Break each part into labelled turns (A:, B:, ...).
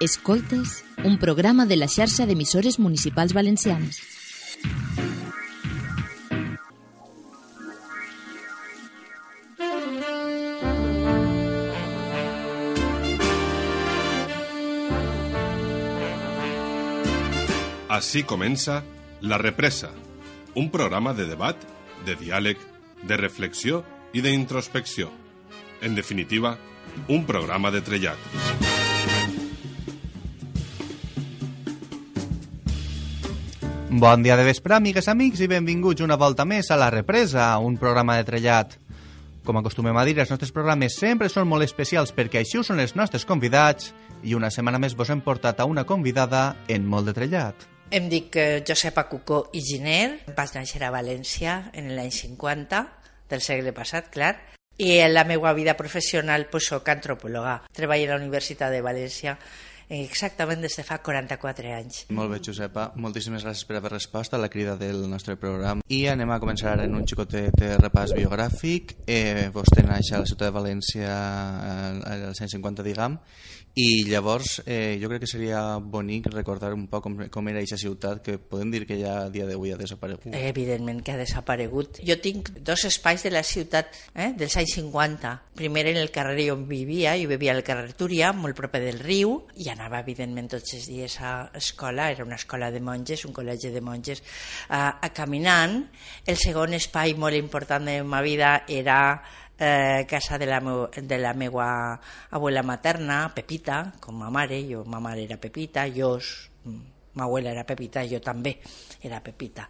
A: Escoltes, un programa de la xarxa d'emissores municipals valencianes.
B: Así comença La Represa, un programa de debat, de diàleg, de reflexió i d'introspecció. En definitiva, un programa de trellat.
C: Bon dia de vespre, amigues, amics, i benvinguts una volta més a La Represa, un programa de trellat. Com acostumem a dir, els nostres programes sempre són molt especials perquè així ho són els nostres convidats i una setmana més vos hem portat a una convidada en molt de trellat.
D: Em dic Josepa Cucó i Giner, vaig néixer a València en l'any 50 del segle passat, clar, i en la meva vida professional soc antropòloga. Treballo a la Universitat de València exactament des de fa 44 anys.
C: Molt bé, Josepa. Moltíssimes gràcies per haver respost a la crida del nostre programa. I anem a començar en un xicotet repàs biogràfic. Vostè naix a la ciutat de València als anys 50, diguem, i llavors jo crec que seria bonic recordar un poc com era aquesta ciutat, que podem dir que ja a dia d'avui ha desaparegut.
D: Evidentment que ha desaparegut. Jo tinc dos espais de la ciutat dels anys 50. Primer en el carrer on vivia, jo vivia al carrer Túria, molt proper del riu, i anava evidentment tots els dies a escola, era una escola de monges, un col·legi de monges, caminant. El segon espai molt important de la meva vida era casa de la meva abuela materna, Pepita, com ma mare. Ma mare era Pepita, ma abuela era Pepita, jo també era Pepita.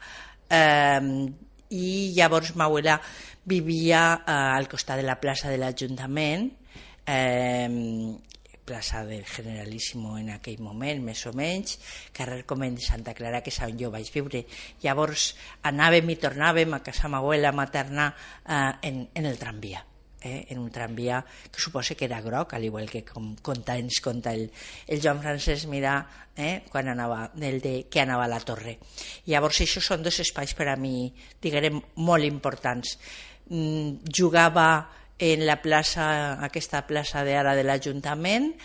D: I llavors ma abuela vivia al costat de la plaça de l'Ajuntament, plaça del Generalíssimo en aquell moment, més o menys, carrer Comend de Santa Clara, que és on jo vaig viure. Llavors anàvem i tornàvem a casa ma abuela materna en el tramvia, en un tramvia que suposa que era groc, al igual que ens conta el Joan Francesc Mirà quan anava que anava a la Torre. Llavors això són dos espais per a mi, diguem, molt importants. Jugava en la plaça, aquesta plaça d'ara de l'Ajuntament,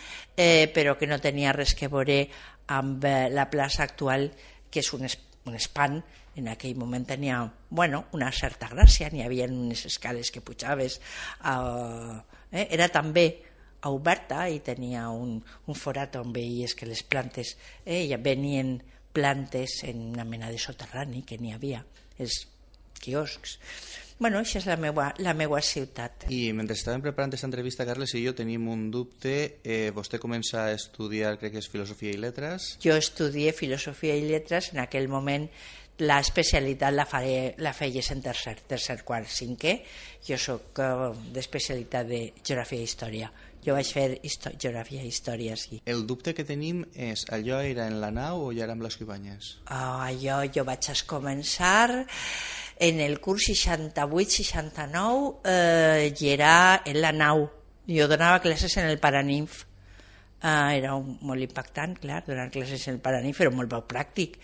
D: però que no tenia res que veure amb la plaça actual, que és un espant. En aquell moment tenia una certa gràcia, n'hi havia unes escales que pujaves, era també oberta i tenia un forat on veies que les plantes, ja venien plantes en una mena de soterrani que n'hi havia, els quioscs. Això és la meva ciutat.
C: I mentre estàvem preparant aquesta entrevista, Carles i jo tenim un dubte. Vostè comença a estudiar, crec que és Filosofia i Lletres.
D: Jo estudié Filosofia i Lletres. En aquell moment l'especialitat la feies en tercer, quart, cinquè. Jo soc d'especialitat de Geografia i Història. Jo vaig fer Geografia i Història, sí.
C: El dubte que tenim és, allò era en la nau o ja era amb les Ibanyes?
D: Jo vaig començar en el curs 68-69 i era en la nau. Jo donava classes en el Paraninf. Era molt impactant, clar, donar classes en el Paraninf, però molt poc pràctic.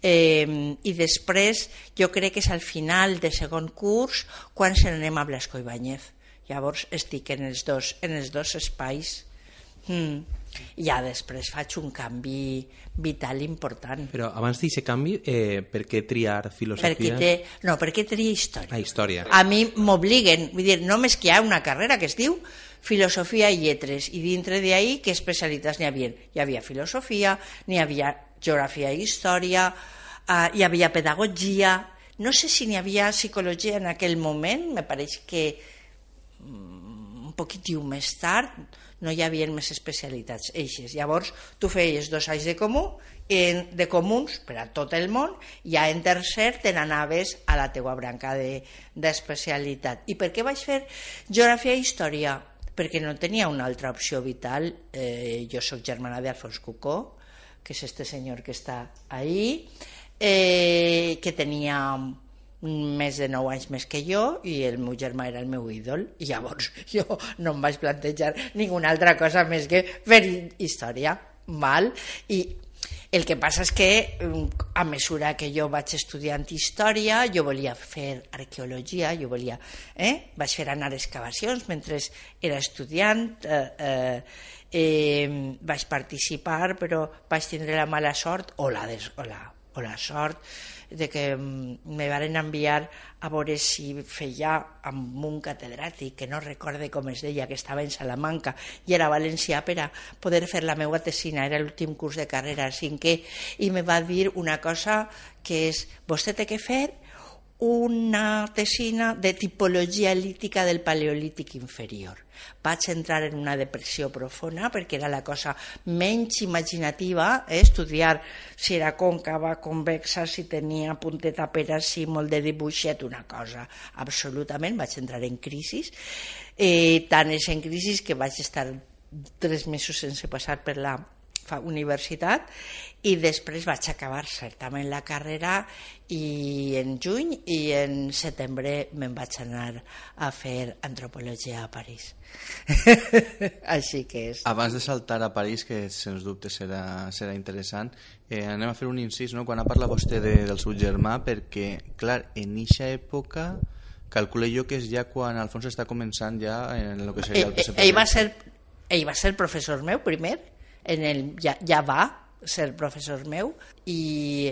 D: I després jo crec que és al final de segon curs quan se n'anem a Blasco Ibáñez. Llavors estic en els dos espais. Ja després faig un canvi vital important.
E: Però abans d'aquest canvi, per què triar filosofia?
D: Per què triar història?
E: Història.
D: A mi m'obliguen, vull dir, només que hi ha una carrera que es diu Filosofia i Lletres, i dintre d'ahí què especialitats n'hi havia? Hi havia filosofia, n'hi havia geografia i història, hi havia pedagogia, no sé si n'hi havia psicologia en aquell moment, me pareix que un poquitiu més tard no hi havia més especialitats eixes. Llavors tu feies 2 anys de comuns per a tot el món, i ja en tercer te n'anaves a la teua branca d'especialitat. I per què vaig fer Geografia i Història? Perquè no tenia una altra opció vital. Jo soc germana d'Alfons Cucó, que és este senyor que està ahí, que tenia més de 9 anys més que jo, i el meu germà era el meu ídol, i llavors jo no em vaig plantejar ninguna altra cosa més que fer història. I El que passa és que a mesura que jo vaig estudiant història, jo volia fer arqueologia, vaig fer anar excavacions mentre era estudiant, vaig participar, però vaig tindre la mala sort o la sort de que me van enviar a veure si feia amb un catedràtic que no recorde com es deia, que estava en Salamanca i era valencià, per a poder fer la meva tesina. Era l'últim curs de carrera, cinquè, i me va dir una cosa que és: vostè té que fer una tesina de tipologia lítica del paleolític inferior. Vaig entrar en una depressió profunda perquè era la cosa menys imaginativa, estudiar si era còncava, convexa, si tenia punteta pera, si molt de dibuixet, una cosa absolutament. Vaig entrar en crisi, tant és en crisi que vaig estar 3 mesos sense passar per la universitat i després vaig acabar certament la carrera i en juny i en setembre me'n vaig anar a fer antropologia a París. Així que és.
C: Abans de saltar a París, que sens dubte serà interessant, anem a fer un incís, no? Quan ha parlat vostè del seu germà, perquè clar, en eixa època calculo jo que és ja quan Alfons està començant ja en el que seria el PSPB.
D: Ell va ser professor meu primer, ja va ser professor meu, i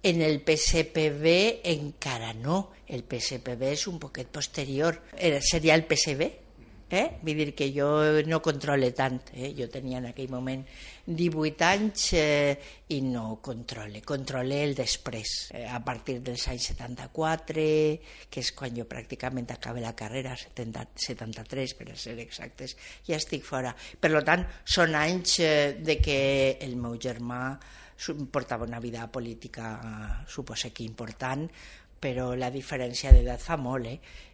D: en el PSPB encara no. El PSPB és un poquet posterior, seria el PSB, vull dir que jo no controle tant, jo tenia en aquell moment 18 anys i no controle el després, a partir dels anys 74, que és quan jo pràcticament acabé la carrera, 73 per ser exactes, ja estic fora. Per tant, són anys de que el meu germà portava una vida política, suposo que important, però la diferència d'edat fa molt,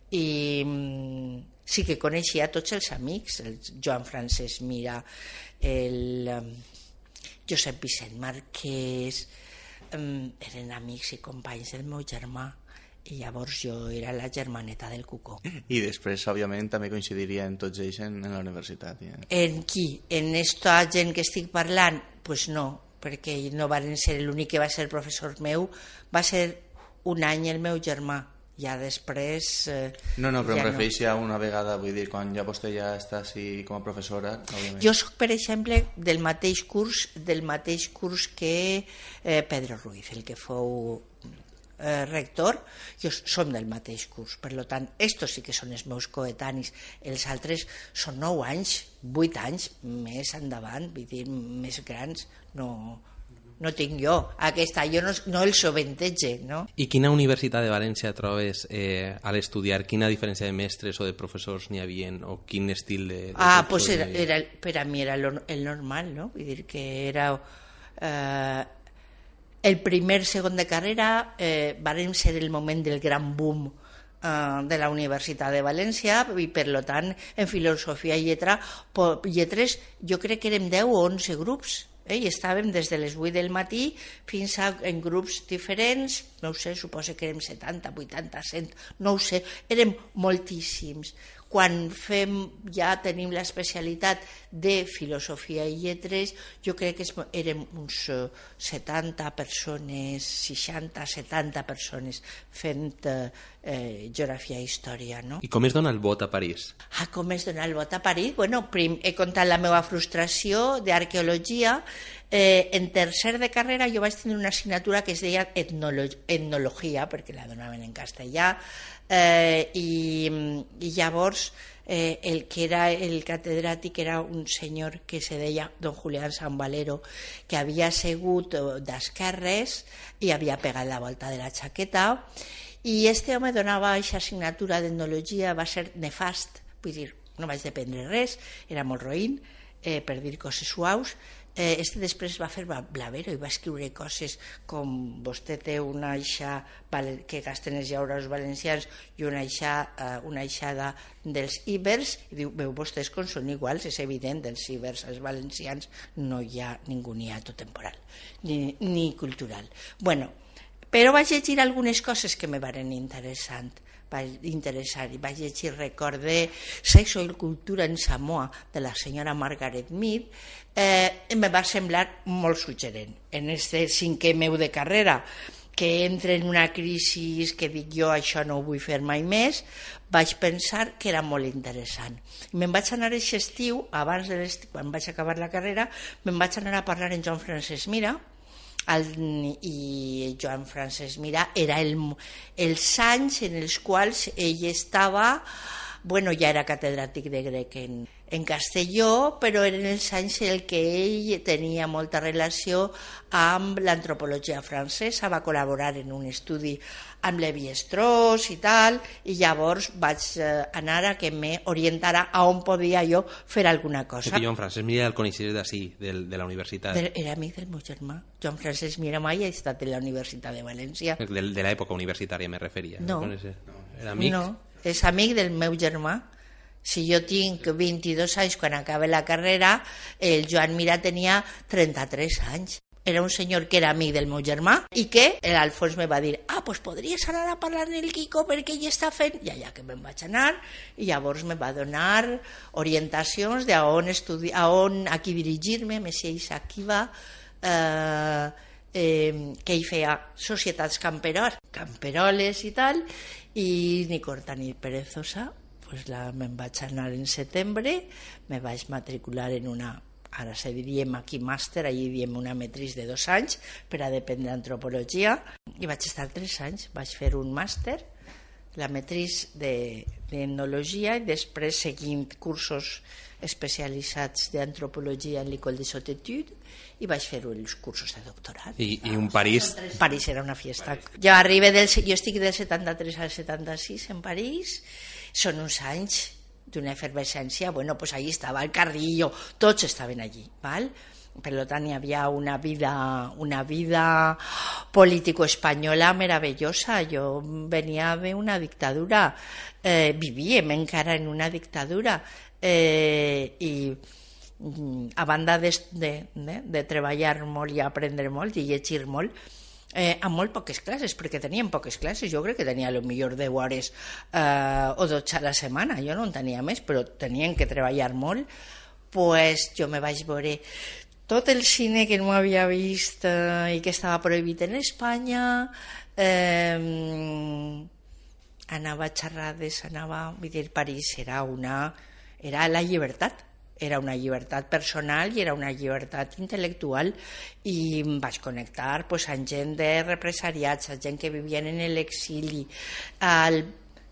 D: i sí que coneixia tots els amics, el Joan Francesc Mira, el Josep Vicent Marquès, eren amics i companys del meu germà, i llavors jo era la germaneta del Cucó.
C: I després, òbviament, també coincidiria en tots ells en la universitat. Ja.
D: En qui? En esta gent que estic parlant? Pues no, perquè no van ser l'únic que va ser professor meu, va ser un any el meu germà. Ja després...
C: No, però em refereixo a una vegada, vull dir, quan ja vostè ja està així com a professora, òbviament.
D: Jo soc, per exemple, del mateix curs que Pedro Ruiz, el que fou rector, jo som del mateix curs, per tant, estos sí que són els meus coetanis, els altres són 9 anys, 8 anys més endavant, vull dir, més grans, no tinc jo, aquesta, jo no el sovintege, no?
E: I quina universitat de València trobes a l'estudiar? Quina diferència de mestres o de professors n'hi havia, o quin estil de
D: pues per a mi era el normal, no? Vull dir que era el primer, segon de carrera, varen ser el moment del gran boom de la Universitat de València, i per tant en filosofia i lletres jo crec que érem 10 o 11 grups, i estàvem des de les 8 del matí fins en grups diferents, no ho sé, suposo que érem 70, 80, 100, no ho sé, érem moltíssims. Quan ja tenim l'especialitat de filosofia i lletres, jo crec que érem uns 70 persones, 60, 70 persones fent geografia i història, no?
E: I com es dona el vot a París?
D: Com es dona el vot a París? Bueno, he contat la meva frustració d'arqueologia. En tercer de carrera jo vaig tenir una assignatura que es deia etnologia, perquè la donaven en castellà, i llavors el que era el catedràtic era un senyor que se deia don Julián San Valero, que havia segut d'esquerres i havia pegat la volta de la xaqueta, i este home donava aquesta assignatura d'etnologia, va ser nefast, vull dir, no vaig dependre res, era molt roïn, per dir coses suaus. Després va fer Blavero i va escriure coses com vostè té una aixa que gasten els llaurats valencians i una aixada dels íbers, i diu, veu vostès com són iguals, és evident, dels íbers als valencians no hi ha ningú niato temporal ni cultural. Bueno, però vaig llegir algunes coses que me varen interessant. vaig interessar i vaig llegir Record de Sexo i Cultura en Samoa de la senyora Margaret Mead, me va semblar molt suggerent. En este 5è meu de carrera, que entre en una crisi que dic jo això no ho vull fer mai més, vaig pensar que era molt interessant. Me'n vaig anar aquest estiu, abans de l'estiu, quan vaig acabar la carrera, me'n vaig anar a parlar amb Joan Francesc Mira, i Joan Francesc Mira era els anys en els quals ell estava, bueno, ja era catedràtic de grec en Castelló, però eren els anys en què ell tenia molta relació amb l'antropologia francesa, va col·laborar en un estudi amb Lévi-Strauss i tal, i llavors vaig anar a que m'orientara a on podia jo fer alguna cosa.
E: Perquè Joan Francesc Mira el coneixies d'ací, de la universitat.
D: Era amic del meu germà. Joan Francesc Mira mai ha estat en la Universitat de València.
E: De l'època universitària me referia.
D: No.
E: Era amic?
D: No, és amic del meu germà. Si jo tinc 22 anys quan acabe la carrera, el Joan Mira tenia 33 anys. Era un senyor que era amic del meu germà i que l'Alfons me va dir pues podries anar a parlar amb el Quico perquè ell està fent... I allà que me'n vaig anar i llavors me va donar orientacions de a qui dirigir-me, Messies aquí va, que ell feia societats camperoles i tal, i ni corta ni perezosa, pues me'n vaig anar en setembre, me vaig matricular en una, ara se diríem aquí màster, allí diem una matriz de 2 anys per a dependre d'antropologia, i vaig estar 3 anys, vaig fer un màster, la matriz d'etnologia, i després seguint cursos especialitzats d'antropologia en l'École des Hautes Études, i vaig fer els cursos de doctorat.
E: I un París?
D: París era una fiesta. Jo estic del 73 al 76 en París, són uns anys d'una efervescència, bueno, pues allí estava el Carrillo, tots estaven allí, ¿val? Per tant hi havia una vida político-espanyola meravellosa. Jo venia d'una dictadura, vivíem encara en una dictadura, i a banda de treballar molt i aprendre molt i llegir molt, amb molt poques classes, perquè teníem poques classes. Jo crec que tenia potser 10 hores o 12 a la setmana, jo no en tenia més, però tenien que treballar molt. Pues jo me vaig veure tot el cine que no havia vist i que estava prohibit en Espanya, anava a xerrades, vull dir, París era la llibertat. Era una llibertat personal i era una llibertat intel·lectual, i em vaig connectar amb gent de represaliats, gent que vivien en l'exili.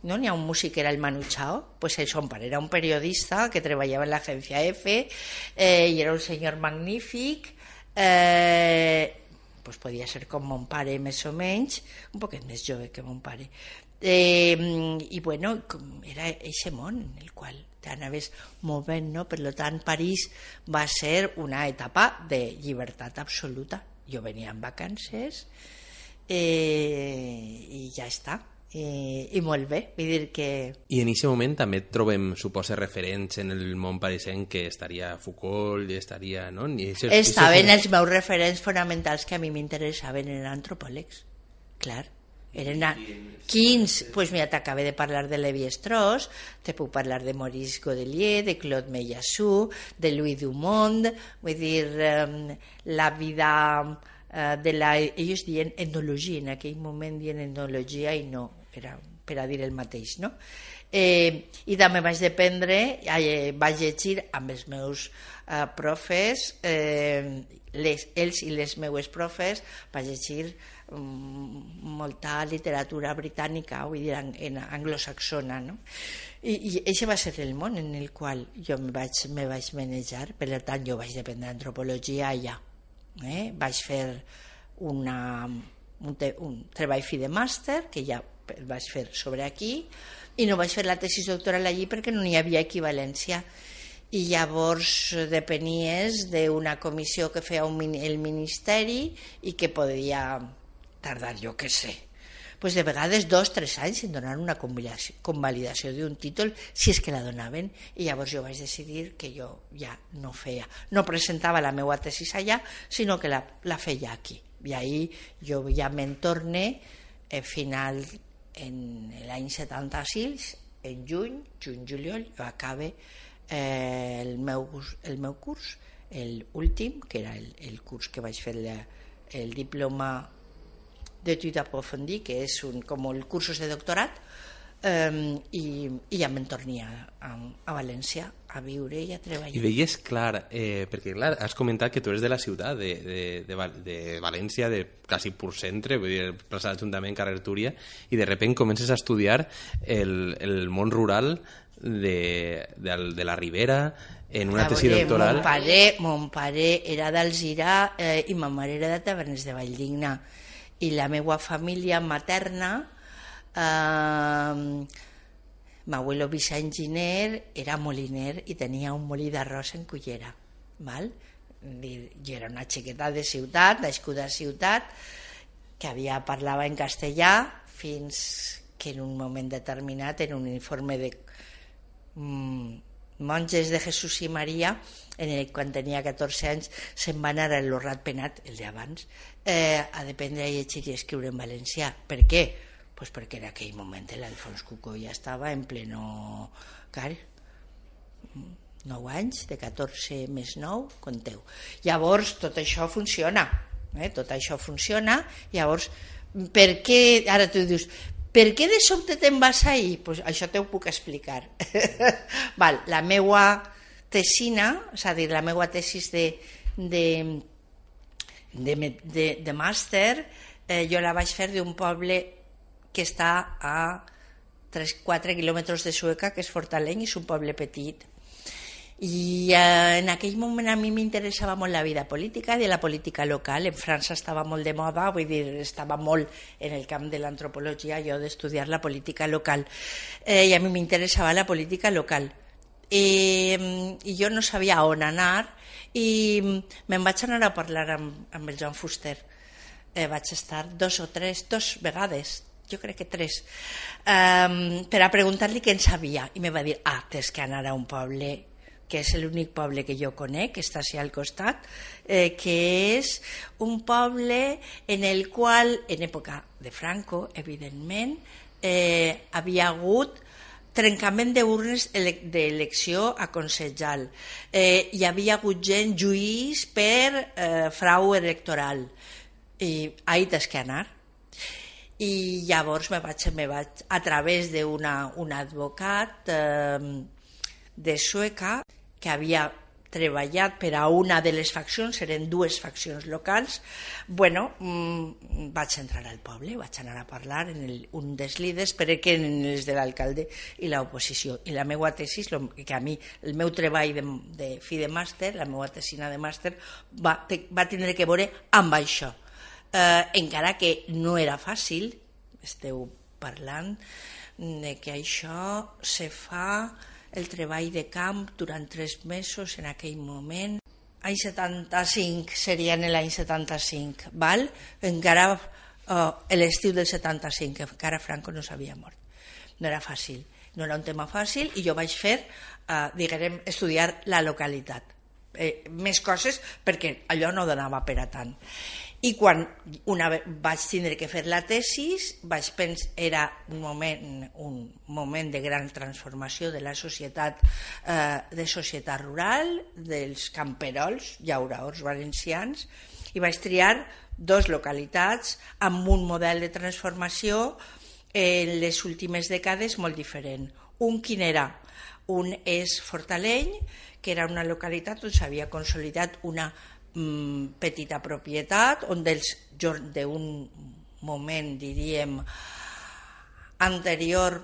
D: No n'hi ha un músic que era el Manu Chao, pues el son pare era un periodista que treballava en l'agència F, i era un senyor magnífic, pues podia ser com mon pare més o menys, un poquet més jove que mon pare, i bueno, era eixe món en el qual t'anaves movent, no? Per tant, París va ser una etapa de llibertat absoluta. Jo venia en vacances i ja està. I molt bé, vull dir que...
E: I en aquest moment també trobem, suposa, referents en el món parisenc, que estaria Foucault, estaria... No?
D: Estaven els meus referents fonamentals que a mi m'interessaven, eren antropòlegs, clar. Eren quins? Pues mira, t'acabé de parlar de Lévi-Strauss, te puc parlar de Maurice Godelier, de Claude Meillassoux, de Louis Dumont, vull dir, la vida de la... Ells diuen etnologia, en aquell moment diuen etnologia i no, era per a dir el mateix, no? I també vaig vaig llegir amb els meus profes, ells i les meues profes, vaig llegir molta literatura britànica, vull dir, anglosaxona, no? I aquest va ser el món en el qual jo me vaig manejar. Per tant, jo vaig dependre d'antropologia allà. Vaig fer un treball fi de màster, que ja el vaig fer sobre aquí, i no vaig fer la tesis doctoral allí perquè no hi havia equivalència. I llavors depenies d'una comissió que feia el Ministeri i que podia tardar, jo què sé, pues de vegades 2 o 3 anys en donar una convalidació d'un títol, si és que la donaven. I llavors jo vaig decidir que jo ja no presentava la meva tesis allà, sinó que la feia aquí. I ahí jo ja me'n torne l'any 76, en juny-juliol, jo acabe el meu curs, l'últim, que era el curs que vaig fer el diploma d'études approfondies, que és com el cursos de doctorat, i ja me'n tornia a València a viure i a treballar.
E: I veies clar, perquè clar, has comentat que tu eres de la ciutat, de València, de quasi pur centre, vull dir, plaça d'Ajuntament, carrer Túria, i de sobte comences a estudiar el món rural de la Ribera, en una tesi doctoral.
D: Mon pare era d'Alzira i ma mare era de Tavernes de Valldigna, i la meva família materna, m'abuelo Vicent Giner era moliner i tenia un molí d'arròs en Cullera, val? Jo era una xiqueta de ciutat, nascuda a ciutat, que parlava en castellà, fins que en un moment determinat, en un informe de monges de Jesús i Maria, quan tenia 14 anys, se'n va anar a l'Horrat Penat, el d'abans, a dependre a llegir i escriure en valencià. Per què? Pues perquè en aquell moment l'Alfons Cucó ja estava en pleno... 9 anys, de 14 més 9, compteu. Llavors, tot això funciona. Tot això funciona. Llavors, per què... Ara tu dius, per què de sobte te'n vas ahir? Pues això t'ho puc explicar. Val, la meua tesina, és a dir, la meua tesis de màster, jo la vaig fer d'un poble que està a 3-4 quilòmetres de Sueca, que és Fortaleny, és un poble petit. I en aquell moment a mi m'interessava molt la vida política i la política local. En França estava molt de moda, vull dir, estava molt en el camp de l'antropologia, jo d'estudiar la política local. I a mi m'interessava la política local. I jo no sabia on anar i me'n vaig anar a parlar amb el Joan Fuster. Vaig estar 2 vegades, jo crec que 3, per a preguntar-li què en sabia, i me va dir, tens que anar a un poble que és l'únic poble que jo conec, que està així al costat, que és un poble en el qual, en època de Franco, evidentment, havia hagut trencament d'urnes d'elecció a Consellal. Hi havia hagut gent lluís per frau electoral. I ahí tens que anar. I llavors me vaig a través d'un advocat de Sueca que havia treballat per a una de les faccions, eren 2 faccions locals. Vaig entrar al poble, vaig anar a parlar en un dels líders, però que en els de l'alcalde i l'oposició. I la meva tesis, que a mi, el meu treball de fi de màster, la meva tesina de màster, va tindre que veure amb això. Encara que no era fàcil, esteu parlant de que això se fa el treball de camp durant 3 mesos en aquell moment. Any 75, seria en l'any 75, val? Encara l'estiu del 75, encara Franco no s'havia mort. No era fàcil, no era un tema fàcil, i jo vaig fer, diguem, estudiar la localitat. Més coses, perquè allò no donava per a tant. I quan vaig tindre que fer la tesis, vaig pensar, era un moment de gran transformació de la societat, de societat rural, dels camperols, llauraors valencians, i vaig triar 2 localitats amb un model de transformació en les últimes dècades molt diferent. Quin era? Un és Fortaleny, que era una localitat on s'havia consolidat una petita propietat, on d'un moment, diríem, anterior,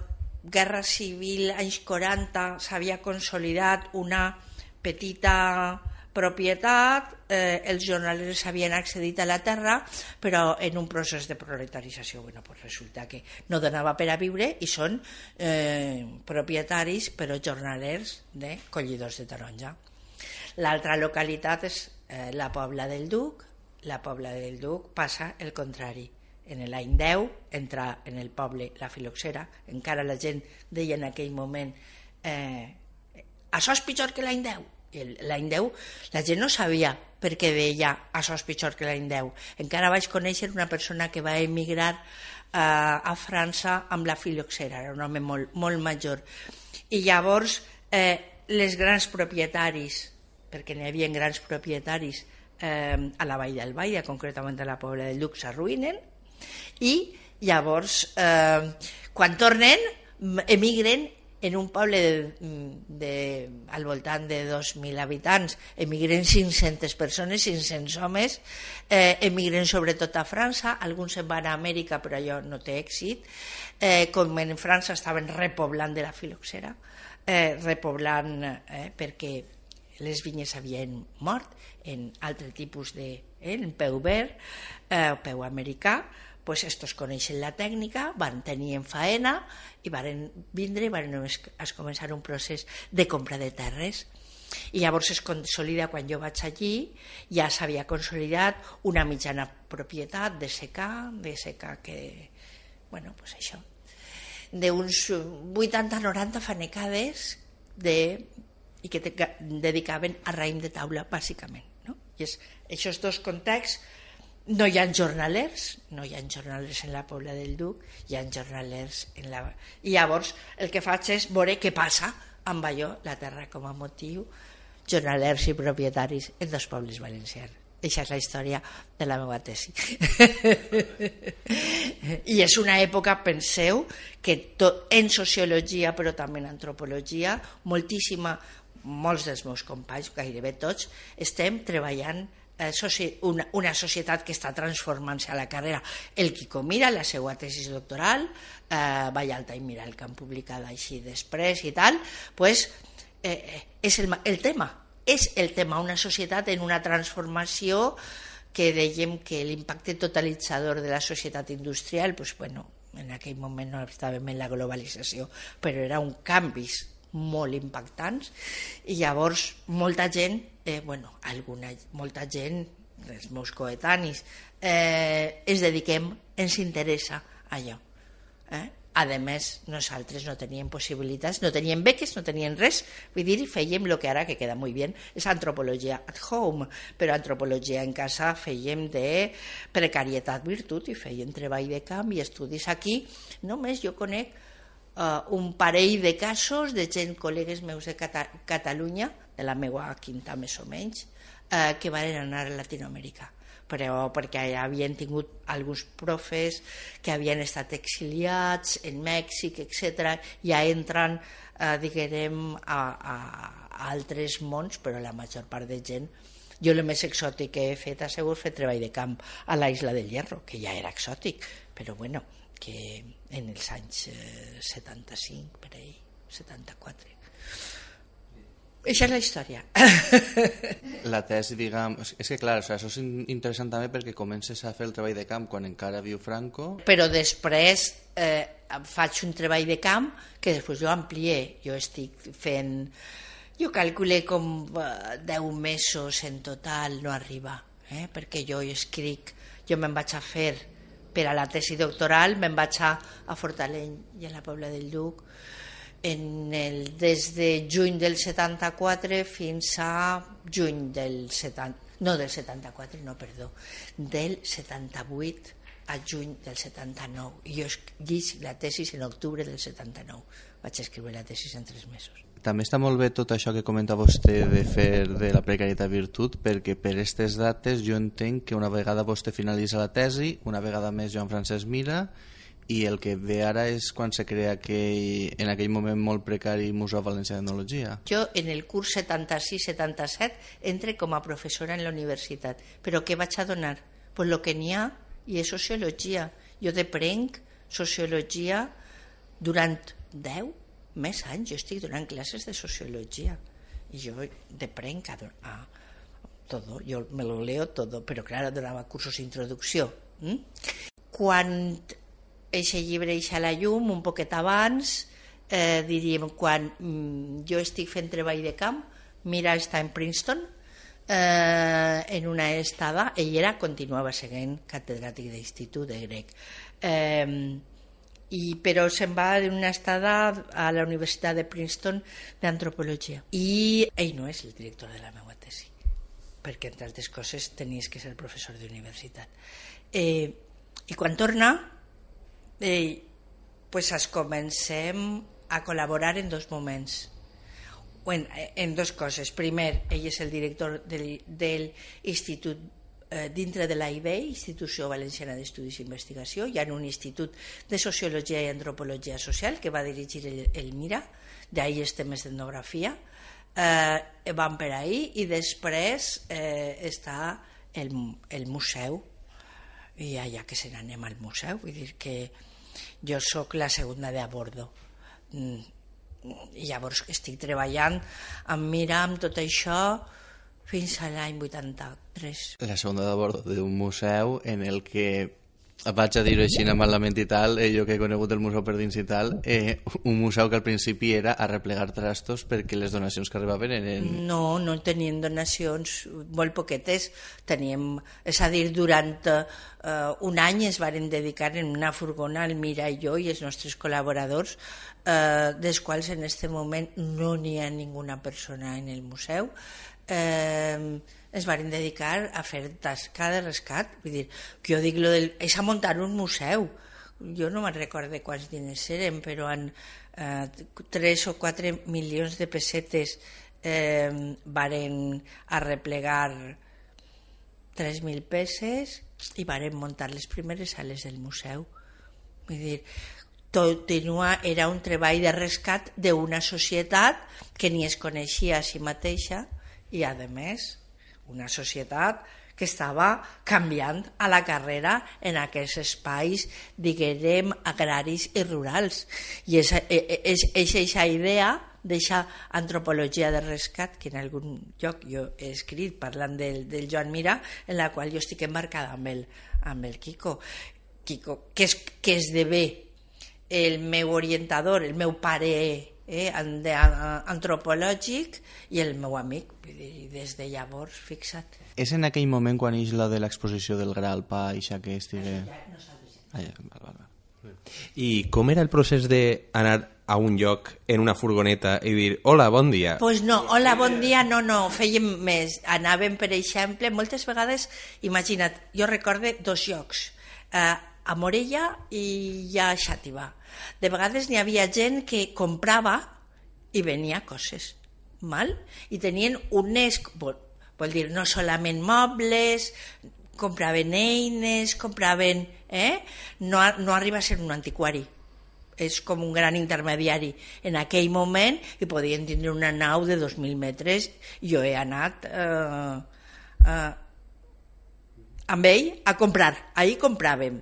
D: guerra civil, anys 40, s'havia consolidat una petita propietat, els jornalers havien accedit a la terra, però en un procés de proletarització. Resulta que no donava per a viure i són propietaris, però jornalers de collidors de taronja. L'altra localitat és la Pobla del Duc. La Pobla del Duc passa el contrari. En l'any 10 entra en el poble la filoxera, encara la gent deia en aquell moment això és pitjor que l'any 10. I l'any 10 la gent no sabia per què deia això és pitjor que l'any 10. Encara vaig conèixer una persona que va emigrar a França amb la filoxera, era un home molt major. I llavors les grans propietaris, perquè n'hi havia grans propietaris a la Vall d'Albaida, concretament a la Pobla del Duc, s'arruïnen i llavors quan tornen emigren en un poble al voltant de 2.000 habitants, emigren 500 persones, 500 homes, emigren sobretot a França, alguns se'n van a Amèrica però allò no té èxit, com en França estaven repoblant de la filoxera, repoblant perquè les vinyes havien mort en altre tipus de en peu verd, peu americà. Pues estos coneixen la tècnica, van tenir en faena i van vindre i van començar un procés de compra de terres. I llavors es consolida, quan jo vaig allí, ja s'havia consolidat una mitjana propietat de secà que, bueno, pues això, d'uns 80-90 fanecades i que dedicaven a raïm de taula, bàsicament. No? I aquests dos contexts. No hi ha jornalers en la Pobla del Duc, hi ha jornalers en la... I llavors el que faig és veure què passa amb allò, la terra com a motiu, jornalers i propietaris en dos pobles valencians. Aquesta és la història de la meva tesi. I és una època, penseu, que en sociologia, però també en antropologia, molts dels meus companys, gairebé tots, estem treballant una societat que està transformant-se a la carrera. El Quico Mira, la seva tesi doctoral, Vallalta i Miral, que han publicat així després i tal, pues, és el tema. És el tema, una societat en una transformació que dèiem que l'impacte totalitzador de la societat industrial, pues, bueno, en aquell moment no estàvem en la globalització, però era un canvis molt impactants i llavors molta gent, molta gent, els meus coetanis, ens interessa allò. A més, nosaltres no teníem possibilitats, no teníem beques, no teníem res, vull dir, fèiem el que ara, que queda molt bé, és antropologia at home, però antropologia en casa fèiem de precarietat virtut i fèiem treball de camp i estudis aquí. Només jo conec un parell de casos de gent, col·legues meus de Catalunya, de la meva quinta més o menys, que van anar a Latinoamèrica, però perquè havien tingut alguns profes que havien estat exiliats en Mèxic, etc. Ja entren, diguem, a altres mons, però la major part de gent. Jo el més exòtic que he fet ha sigut fer treball de camp a la Isla del Hierro, que ja era exòtic, però bueno, que en els anys 75, per ahí, 74. Això és la història.
C: La tesi, diguem... És que, clar, això és interessant també perquè comences a fer el treball de camp quan encara viu Franco.
D: Però després faig un treball de camp que després jo amplié. Jo estic fent... Jo calculé com 10 mesos en total, no arriba, perquè jo escric, jo me'n vaig a fer per a la tesi doctoral, me'n vaig a Fortaleny i a la Pobla del Duc des de juny del 74 fins a juny del 78 a juny del 79. I jo escric la tesi en octubre del 79. Vaig escriure la tesi en 3 mesos.
C: També està molt bé tot això que comenta vostè de fer de la precarietat virtut, perquè per aquestes dates jo entenc que una vegada vostè finalitza la tesi, una vegada més Joan Francesc Mira, i el que ve ara és quan se crea en aquell moment molt precari Museu Valencià d'Etnologia.
D: Jo en el curs 76-77 entre com a professora en la universitat, però què vaig a donar? Pues lo que n'hi ha, i és sociologia. Jo deprenc sociologia durant 10 més anys, jo estic donant classes de sociologia i jo deprenc a todo, yo me lo leo todo, però claro, donava cursos d'introducció. Quan eixe llibre eixa a la llum, un poquet abans, diríem, quan jo estic fent treball de camp, Mira està en Princeton, en una estada, ell continuava seguint catedràtic d'institut de grec. Però se'n va d'una estada a la Universitat de Princeton d'antropologia. I ell no és el director de la meva tesi, perquè entre altres coses tenies que ser professor d'universitat. I quan torna, es comencem a col·laborar en dos moments. En dos coses. Primer, ell és el director del institut dintre de l'AIB, Institució Valenciana d'Estudis i Investigació. Hi ha un institut de Sociologia i Antropologia Social que va dirigir el Mira, d'ahir els temes d'etnografia. Van per ahir i després està el museu, i allà que se n'anem al museu, vull dir que jo sóc la segunda de a bordo. I llavors estic treballant amb Mira, amb tot això, fins a l'any 83.
C: La segunda de bord d'un museu en el que, vaig a dir-ho així malament i tal, jo que he conegut el museu per dins i tal, un museu que al principi era a replegar trastos perquè les donacions que arribaven eren...
D: No tenien donacions, molt poquetes. Teníem, és a dir, durant un any es varen dedicar en una furgona, el Mira i jo i els nostres col·laboradors, dels quals en aquest moment no n'hi ha ninguna persona en el museu. Es van dedicar a fer tasca de rescat. Vull dir, que jo dic, és a muntar un museu. Jo no me'n recordo quants diners eren, però en 3 o 4 milions de pessetes varen arreplegar 3.000 peces i varen muntar les primeres sales del museu. Vull dir, era un treball de rescat d'una societat que ni es coneixia a si mateixa i, a més, una societat que estava canviant a la carrera en aquests espais, diguem, agraris i rurals. I és aquesta idea d'eixa antropologia de rescat que en algun lloc jo he escrit parlant del Joan Mira, en la qual jo estic embarcada amb el Quico, que esdevé el meu orientador, el meu pare antropològic i el meu amic. Des de llavors, fixa't.
C: És en aquell moment quan ix la de l'exposició del Gra al Pa, ixa que estigui...
E: I com era el procés d'anar a un lloc en una furgoneta i dir hola, bon dia?
D: Pues no, hola, bon dia, no, fèiem més. Anàvem, per exemple, moltes vegades, imagina't, jo recorde 2 llocs, a Morella i a Xàtiva. De vegades n'hi havia gent que comprava i venia coses, mal? I tenien unes, vol dir, no solament mobles, compraven eines, compraven... No arriba a ser un antiquari, és com un gran intermediari en aquell moment, i podien tindre una nau de 2.000 metres. Jo he anat amb ell a comprar, ahir compràvem.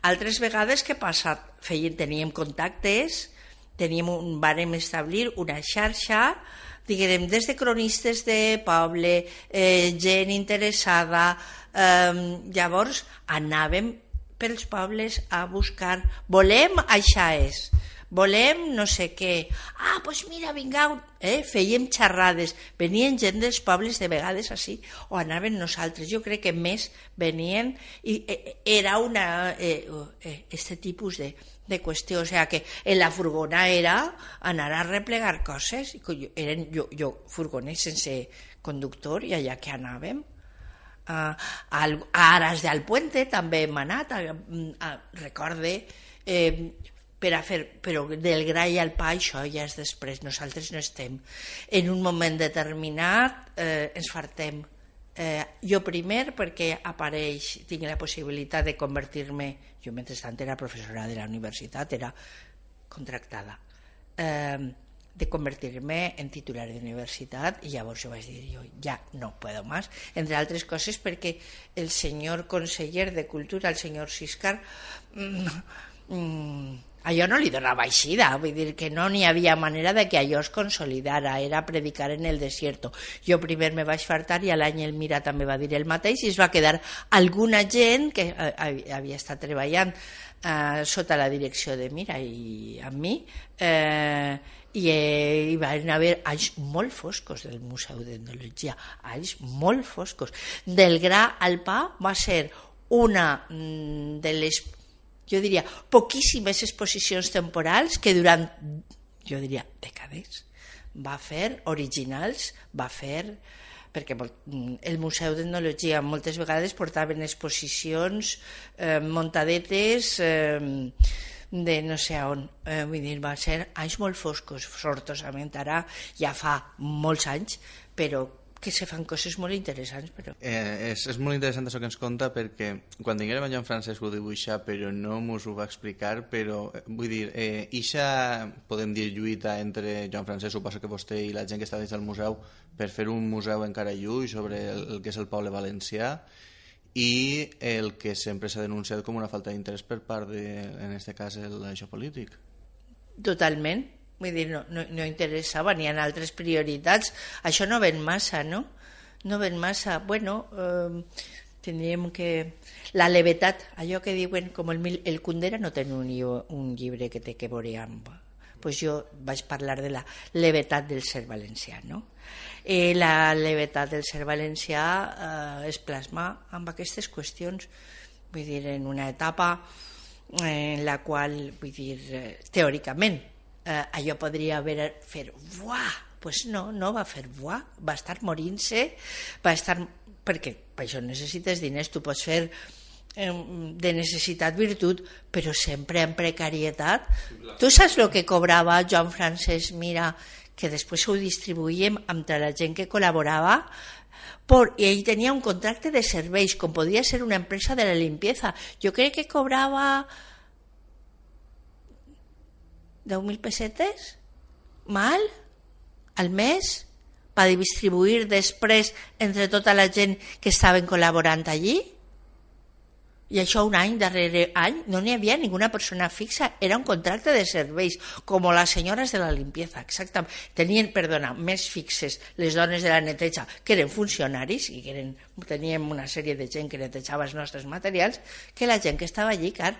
D: Altres vegades, què passa? Teníem contactes, vàrem establir una xarxa, diguem, des de cronistes de poble, gent interessada. Llavors anàvem pels pobles a buscar, volem això és, volem no sé què, doncs mira, vingueu, fèiem xerrades, venien gent dels pobles de vegades així, o anàvem nosaltres. Jo crec que més venien, i era este tipus de qüestió, o sigui que en la furgona era anar a replegar coses, eren jo furgones sense conductor, i allà que anàvem. A Aras del Puente també hem anat, recorde, però del Gra i al Pa això ja és després, nosaltres no estem. En un moment determinat ens fartem. Jo primer perquè tinc la possibilitat de convertir-me, jo mentrestant era professora de la universitat, era contractada, de convertir-me en titular de universitat, i llavors jo vaig dir, jo ja no puedo más, entre altres coses perquè el senyor conseller de Cultura, el senyor Siscar, allò no li donava eixida, vull dir que no n'hi havia manera de que allò es consolidara, era predicar en el desierto. Jo primer me vaig fartar i a l'any el Mira també va dir el mateix, i es va quedar alguna gent que havia estat treballant sota la direcció de Mira i amb mi, i van haver anys molt foscos del Museu d'Etnologia, anys molt foscos. Del Gra al Pa va ser una de les, jo diria, poquíssimes exposicions temporals que durant, jo diria, dècades va fer, originals, va fer, perquè el Museu d'Etnologia moltes vegades portaven exposicions muntadetes de no sé on. Vull dir, va ser anys molt foscos, sortosament ara ja fa molts anys, però que se fan coses molt interessants. Però...
C: és molt interessant això que ens conta, perquè quan tinguérem a Joan Francesc ho dibuixar, però no mos ho va explicar, però vull dir, ixa, podem dir, lluita entre Joan Francesc, suposo que vostè i la gent que està dins del museu, per fer un museu encara lluny sobre el que és el poble valencià, i el que sempre s'ha denunciat com una falta d'interès per part de, en aquest cas, l'això polític.
D: Totalment. Vull dir, no interessava, n'hi ha altres prioritats. Això no ven massa, no? No ven massa. Bueno, tindríem que... La levetat, allò que diuen, com el Kundera no té un llibre que té que veure amb... Pues jo vaig parlar de la levetat del ser valencià, no? La levetat del ser valencià es plasma amb aquestes qüestions. Vull dir, en una etapa en la qual, vull dir, teòricament, allò podria fer buah, pues no va fer buah, va estar morint-se, va estar... perquè per això necessites diners, tu pots fer de necessitat virtut, però sempre en precarietat. Tu saps el que cobrava Joan Francesc Mira, que després ho distribuïm entre la gent que col·laborava, i ell tenia un contracte de serveis, com podia ser una empresa de la limpieza. Jo crec que cobrava 10.000 pessetes mal al mes per distribuir després entre tota la gent que estaven col·laborant allí, i això un any darrere any no n'hi havia ninguna persona fixa, era un contracte de serveis, com les senyores de la limpieza, exactament. Tenien, més fixes les dones de la neteja, que eren funcionaris i que teníem una sèrie de gent que netejava els nostres materials, que la gent que estava allí, car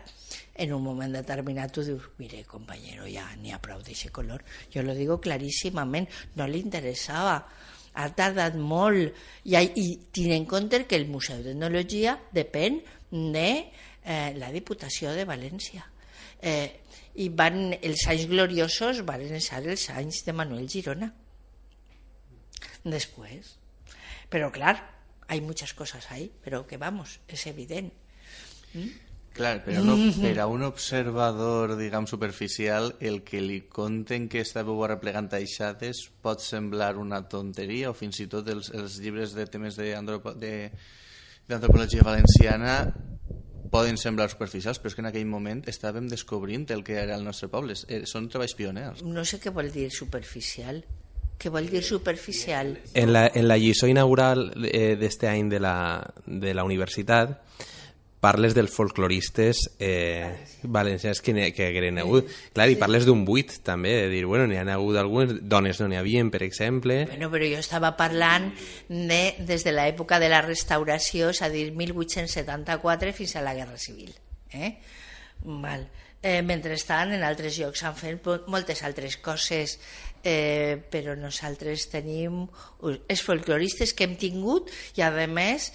D: en un moment determinat tu dius, mire, compañero, ja n'hi ha prou d'aquest color. Jo lo digo claríssimament, no li interessava. Ha tardat molt, i tenint en compte que el Museu d'Etnologia depèn de la Diputació de València. I els anys gloriosos van ser els anys de Manuel Girona. Després. Però, clar, hay muchas cosas ahí, pero que vamos, es evident.
C: Clar, però per a un observador, diguem, superficial, el que li conten que estàveu arreplegant aixades pot semblar una tonteria, o fins i tot els llibres de temes d'antropologia valenciana poden semblar superficials, però és que en aquell moment estàvem descobrint el que era el nostre poble. Són treballs pioners.
D: No sé què vol dir superficial. Què vol dir superficial?
E: En la lliçó inaugural d'este any de la universitat parles dels folcloristes valencians que eren hagut. Clar, i parles d'un buit, també, de dir, bueno, n'hi ha hagut algunes, dones no n'hi havien, per exemple.
D: Bueno, però jo estava parlant des de l'època de la restauració, és a dir, 1874 fins a la Guerra Civil. Val. Mentrestant, en altres llocs s'han fet moltes altres coses, però nosaltres tenim els folcloristes que hem tingut i, a més,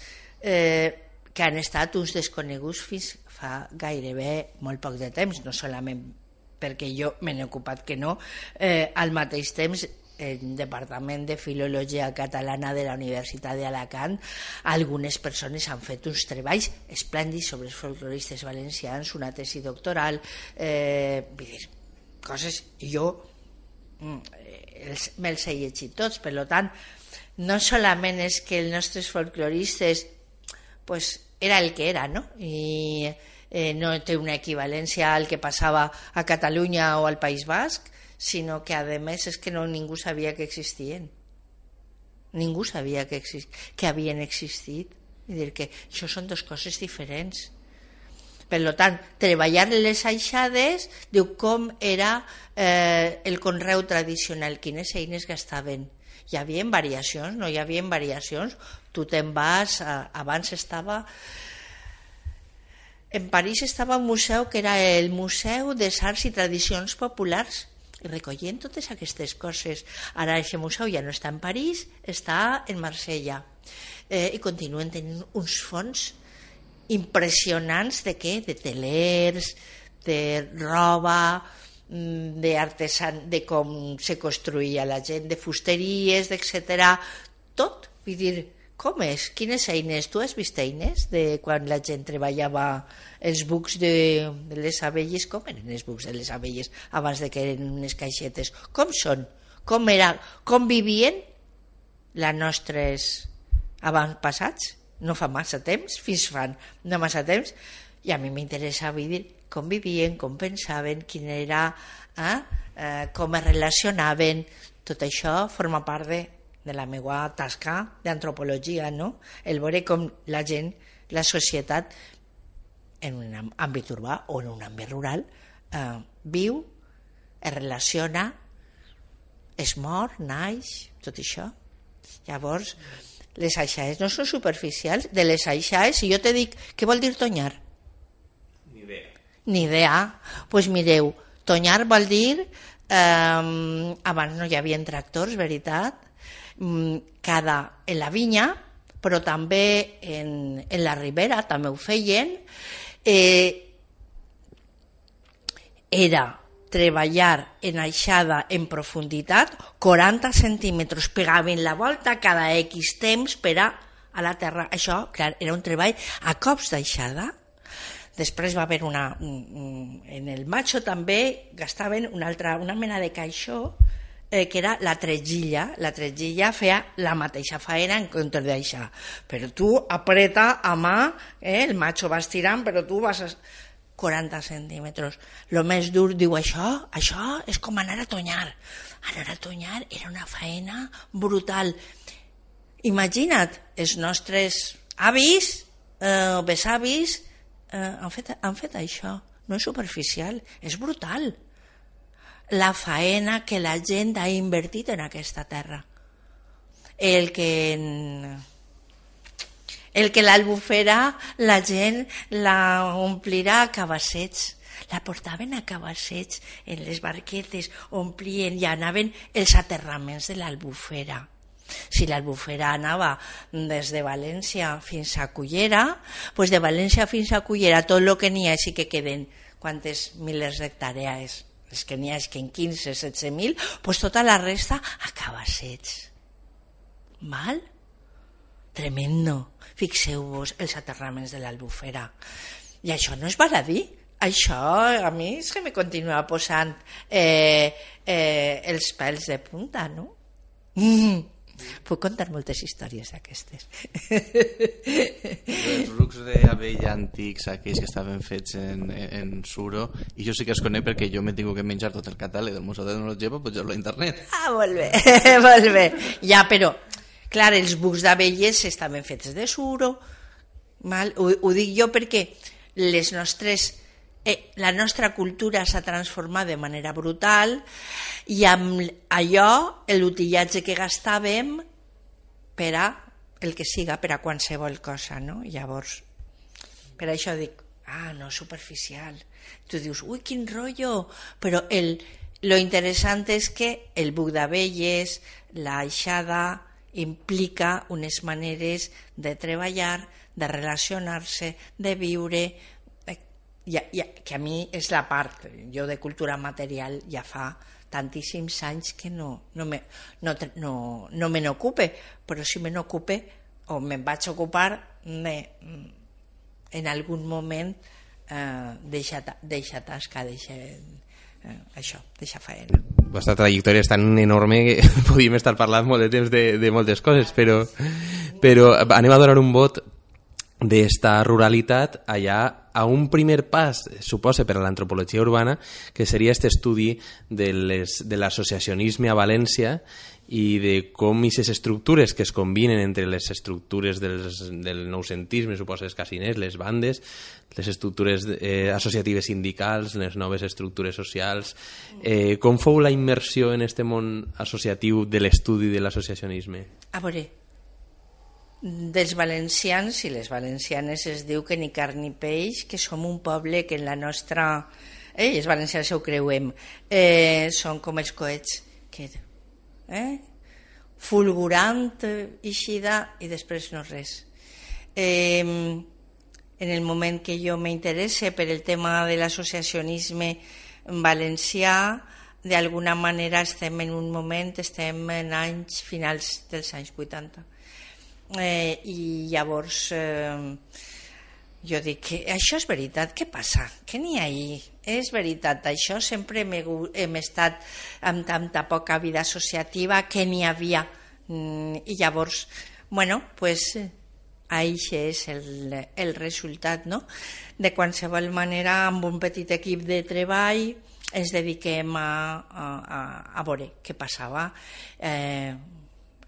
D: que han estat uns desconeguts fins fa gairebé molt poc de temps, no solament perquè jo me n'he ocupat que no, al mateix temps el Departament de Filologia Catalana de la Universitat d'Alacant, algunes persones han fet uns treballs esplèndids sobre els folcloristes valencians, una tesi doctoral, vull dir, coses, jo me'ls he llegit tots, per tant, no solament és que els nostres folcloristes pues era el que era, ¿no? I no té una equivalència al que passava a Catalunya o al País Basc, sinó que a més és que ningú sabia que existien. Ningú sabia que havien existit. És dir, que això són dues coses diferents. Per tant, treballar les aixades diu com era el conreu tradicional, quines eines gastaven. Hi havia variacions, no hi havia variacions. Tu te'n vas, abans estava... En París estava un museu que era el Museu de Arts i Tradicions Populars, recollint totes aquestes coses. Ara aquest museu ja no està en París, està en Marsella. I continuen tenint uns fons impressionants de què? De telers, de roba, de com se construïa la gent, de fusteries, etc. Tot, vull dir, Com és? Quines eines? Tu has vist eines de quan la gent treballava els bucs de les abelles? Com eren els bucs de les abelles abans de que eren unes caixetes? Com són? Com vivien les nostres avantpassats? No fa massa temps, fins fan no massa temps, i a mi m'interessa dir com vivien, com pensaven, quin era, com es relacionaven. Tot això forma part de la meva tasca d'antropologia, no? El veure com la gent, la societat, en un àmbit urbà o en un àmbit rural, viu, es relaciona, es mor, naix, tot això. Llavors, les aixades no són superficials. De les aixades, si jo te dic, què vol dir tonyar? Ni idea. Doncs mireu, tonyar vol dir, abans no hi havia tractors, veritat, en la vinya, però també en la ribera, també ho feien, era treballar en aixada en profunditat, 40 centímetres, pegaven la volta cada X temps per a la terra. Això, clar, era un treball a cops d'aixada. Després va haver en el macho també gastaven una mena de caixó que era la tretgilla. La tretgilla feia la mateixa faena en comptes d'aixà. Però tu apreta a mà, el macho va estirant, però tu vas 40 centímetres. Lo més dur, diu, això és com anar a tonyar. Anar a tonyar era una faena brutal. Imagina't, els nostres avis o besavis han fet això. No és superficial, és brutal. La faena que la gent ha invertit en aquesta terra. El que l'albufera la gent la omplirà a cabassets, la portaven a cabassets en les barquetes, omplien i anaven els aterraments de l'albufera. Si l'albufera anava des de València fins a Cullera, doncs de València fins a Cullera tot el que n'hi ha, sí que queden quantes milers d'hectàrees, els que n'hi ha és que en 15, 17.000, doncs tota la resta a cabassets. Val? Tremendo. Fixeu-vos els aterraments de l'albufera. I això no és baladí. Això a mi és que me continua posant els pèls de punta, no? Puc contar moltes històries d'aquestes.
C: Els rucs d'abella antics, aquells que estaven fets en suro, i jo sí que els conec perquè jo m'he tingut que menjar tot el catàleg del Museu d'Etnologia per pujar-lo a internet.
D: Molt bé, molt bé. Ja, però, clar, els bucs d'abelles estaven fets de suro. Ho dic jo perquè la nostra cultura s'ha transformat de manera brutal i amb allò l'utillatge que gastàvem per a el que siga, per a qualsevol cosa, no? Llavors, per això dic, no, superficial. Tu dius, ui, quin rotllo, però lo interessant és que el buc d'abelles, l'aixada, implica unes maneres de treballar, de relacionar-se, de viure, que a mi és la part, jo de cultura material ja fa tantíssims anys que no me n'ocupe, però si me n'ocupe o me'n vaig ocupar en algun moment deixa tasca, deixa faena.
E: La vostra trajectòria és tan enorme que podríem estar parlant molt de temps de moltes coses, però anem a donar un vot d'esta ruralitat allà a un primer pas, suposa, per a l'antropologia urbana, que seria aquest estudi de l'associacionisme a València i de com aquestes estructures que es combinen entre les estructures del noucentisme, suposa, els casiners, les bandes, les estructures associatives sindicals, les noves estructures socials, com fou la immersió en aquest món associatiu de l'estudi de l'associacionisme?
D: A veure, dels valencians i les valencianes es diu que ni carn ni peix, que som un poble que en la nostra... els valencians ho creuem, són com els coets, que fulgurant, eixida, i després no res. En el moment que jo m'interesse per el tema de l'associacionisme valencià, d'alguna manera estem en un moment, estem en anys finals dels anys 80. I llavors jo dic que això és veritat, què passa? Què n'hi ha ahí? És veritat, això sempre hem estat amb tanta poca vida associativa que n'hi havia. I llavors, bueno, pues això és el resultat, no? De qualsevol manera, amb un petit equip de treball ens dediquem a veure què passava.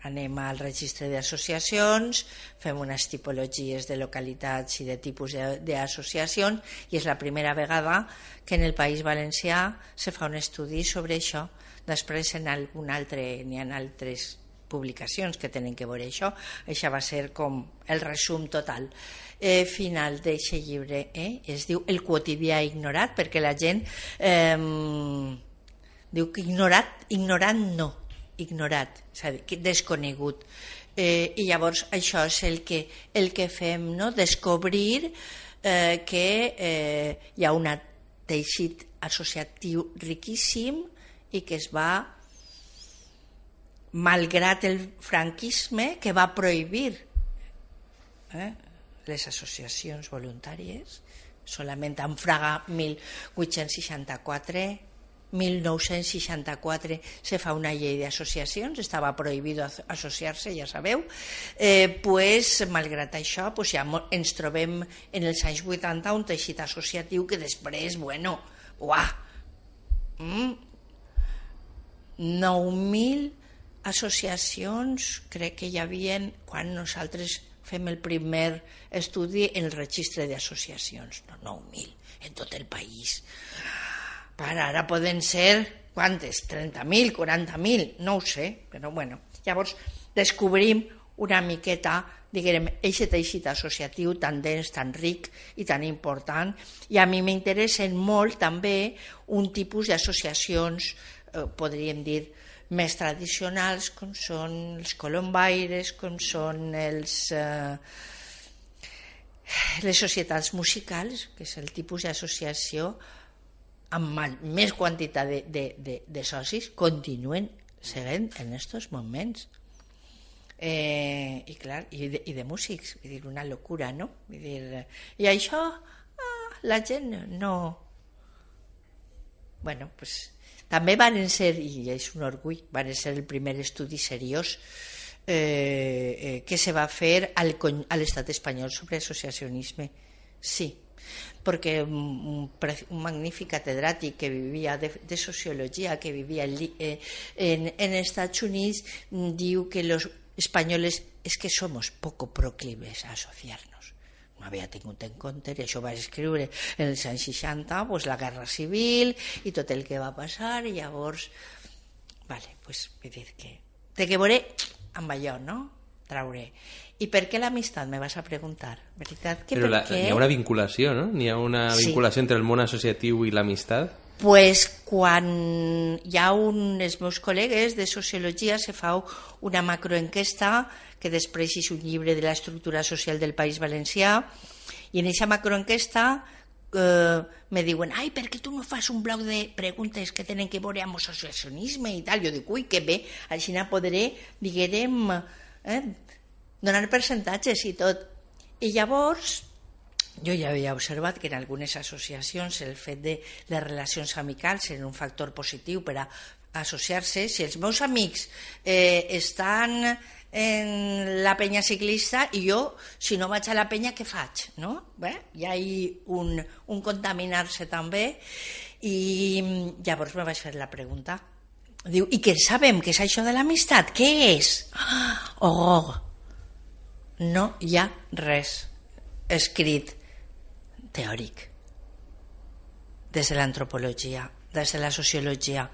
D: Anem al registre d'associacions, fem unes tipologies de localitats i de tipus d'associacions i és la primera vegada que en el País Valencià se fa un estudi sobre això. Després n'hi ha altres publicacions que tenen que veure això. Això va ser com el resum total final d'aquest llibre. Es diu El quotidià ignorat, perquè la gent diu que ignorant no, ignorat, és a dir, desconegut. I llavors això és el que fem, no? Descobrir que hi ha un teixit associatiu riquíssim i que es va, malgrat el franquisme, que va prohibir les associacions voluntàries. Solament en Fraga 1964 se fa una llei d'associacions, estava prohibit associar-se, ja sabeu, malgrat això ja ens trobem en els anys 80 un teixit associatiu que després, 9.000 associacions crec que hi havia quan nosaltres fem el primer estudi en el registre d'associacions, 9.000 en tot el país. Ara poden ser, quantes? 30.000, 40.000, no ho sé, però bueno. Llavors descobrim una miqueta, diguem, aquest teixit associatiu tan dens, tan ric i tan important, i a mi m'interessen molt també un tipus d'associacions, podríem dir, més tradicionals, com són els colombaires, com són les societats musicals, que és el tipus d'associació amb més quantitat de socis, continuen seguint en aquests moments. I clar, i de músics, vull dir, una locura, no? Vull dir, i això la gent no... Bueno, pues també van ser, i és un orgull, van ser el primer estudi seriós que se va fer a l'estat espanyol sobre associacionisme. Sí, perquè un magnífic catedràtic que vivia de sociologia, que vivia en Estats Units, diu que los españoles es que somos poco proclives a asociarnos. No havia tingut en compte, i això va escriure en els anys 60, pues, la guerra civil i tot el que va passar, i llavors, vale, pues, vull dir que té que veure amb allò, no? Traure. I per què l'amistat, me vas a preguntar, veritat? Que
E: Però n'hi ha una vinculació, no? N'hi ha una vinculació entre el món associatiu i l'amistat?
D: Pues quan hi ha els meus col·legues de sociologia se fa una macroenquesta que després és un llibre de l'estructura social del País Valencià, i en aquesta macroenquesta me diuen, ai, per què tu no fas un bloc de preguntes que tenen que veure amb l'associacionisme i tal? Jo dic, ui, que bé, així no podré, diguem, donar percentatges i tot. I llavors jo ja havia observat que en algunes associacions el fet de les relacions amicals era un factor positiu per a associar-se. Si els meus amics estan en la penya ciclista i jo, si no vaig a la penya, què faig? No? Bé, hi ha un contaminar-se també, i llavors me vaig fer la pregunta. Diu, i què sabem? Què és això de l'amistat? Què és? Oh, no hi ha res escrit teòric des de l'antropologia, des de la sociologia.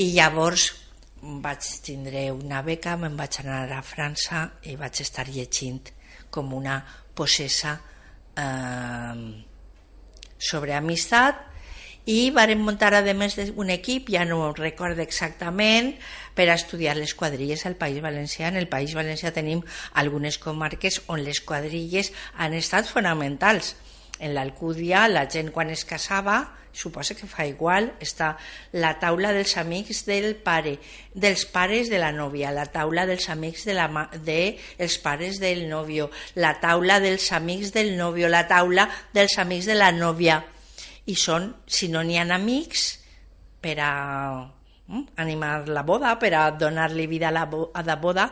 D: I llavors vaig tindre una beca, me'n vaig anar a França i vaig estar llegint com una possessa sobre amistat, i vàrem muntar a més un equip, ja no recordo exactament, per a estudiar les quadrilles al País Valencià. En el País Valencià tenim algunes comarques on les quadrilles han estat fonamentals. en l'Alcúdia la gent quan es casava, suposa que fa igual, està la taula dels amics del pare, dels pares de la nòvia, la taula dels amics dels pares del nòvio, la taula dels amics del nòvio, la taula dels amics de la nòvia. I són, si no n'hi ha amics, per a animar la boda, per a donar-li vida a la boda,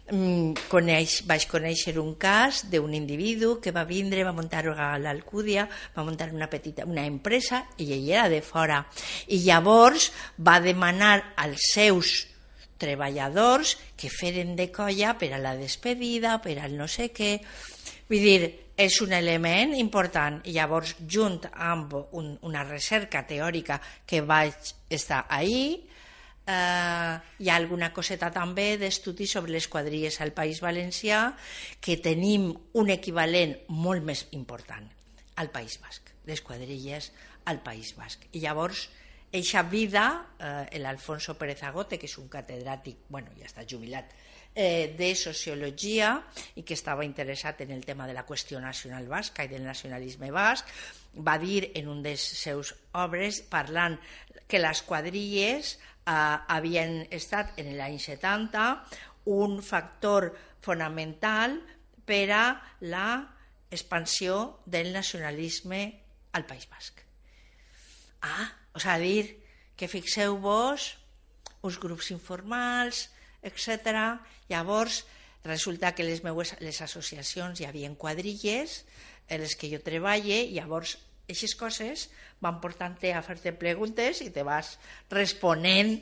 D: vaig conèixer un cas d'un individu que va vindre, va muntar a l'Alcúdia, va muntar una empresa i ell era de fora. I llavors va demanar als seus treballadors que feren de colla per a la despedida, per al no sé què. Vull dir, és un element important. I llavors, junt amb una recerca teòrica que vaig estar ahir, hi ha alguna coseta també d'estudi sobre les quadrilles al País Valencià, que tenim un equivalent molt més important al País Basc, les quadrilles al País Basc. I llavors, eixa vida, l'Alfonso Pérez Agote, que és un catedràtic, bueno, ja està jubilat, de sociologia i que estava interessat en el tema de la qüestió nacional basca i del nacionalisme basc, va dir en un dels seus obres, parlant que les quadrilles havien estat en l'any 70 un factor fonamental per a l'expansió del nacionalisme al País Basc. O sigui, dir que fixeu-vos uns grups informals, etc. Llavors, resulta que les associacions hi havia quadrilles en les que jo treballe, i llavors aquestes coses van portant-te a fer-te preguntes i te vas responent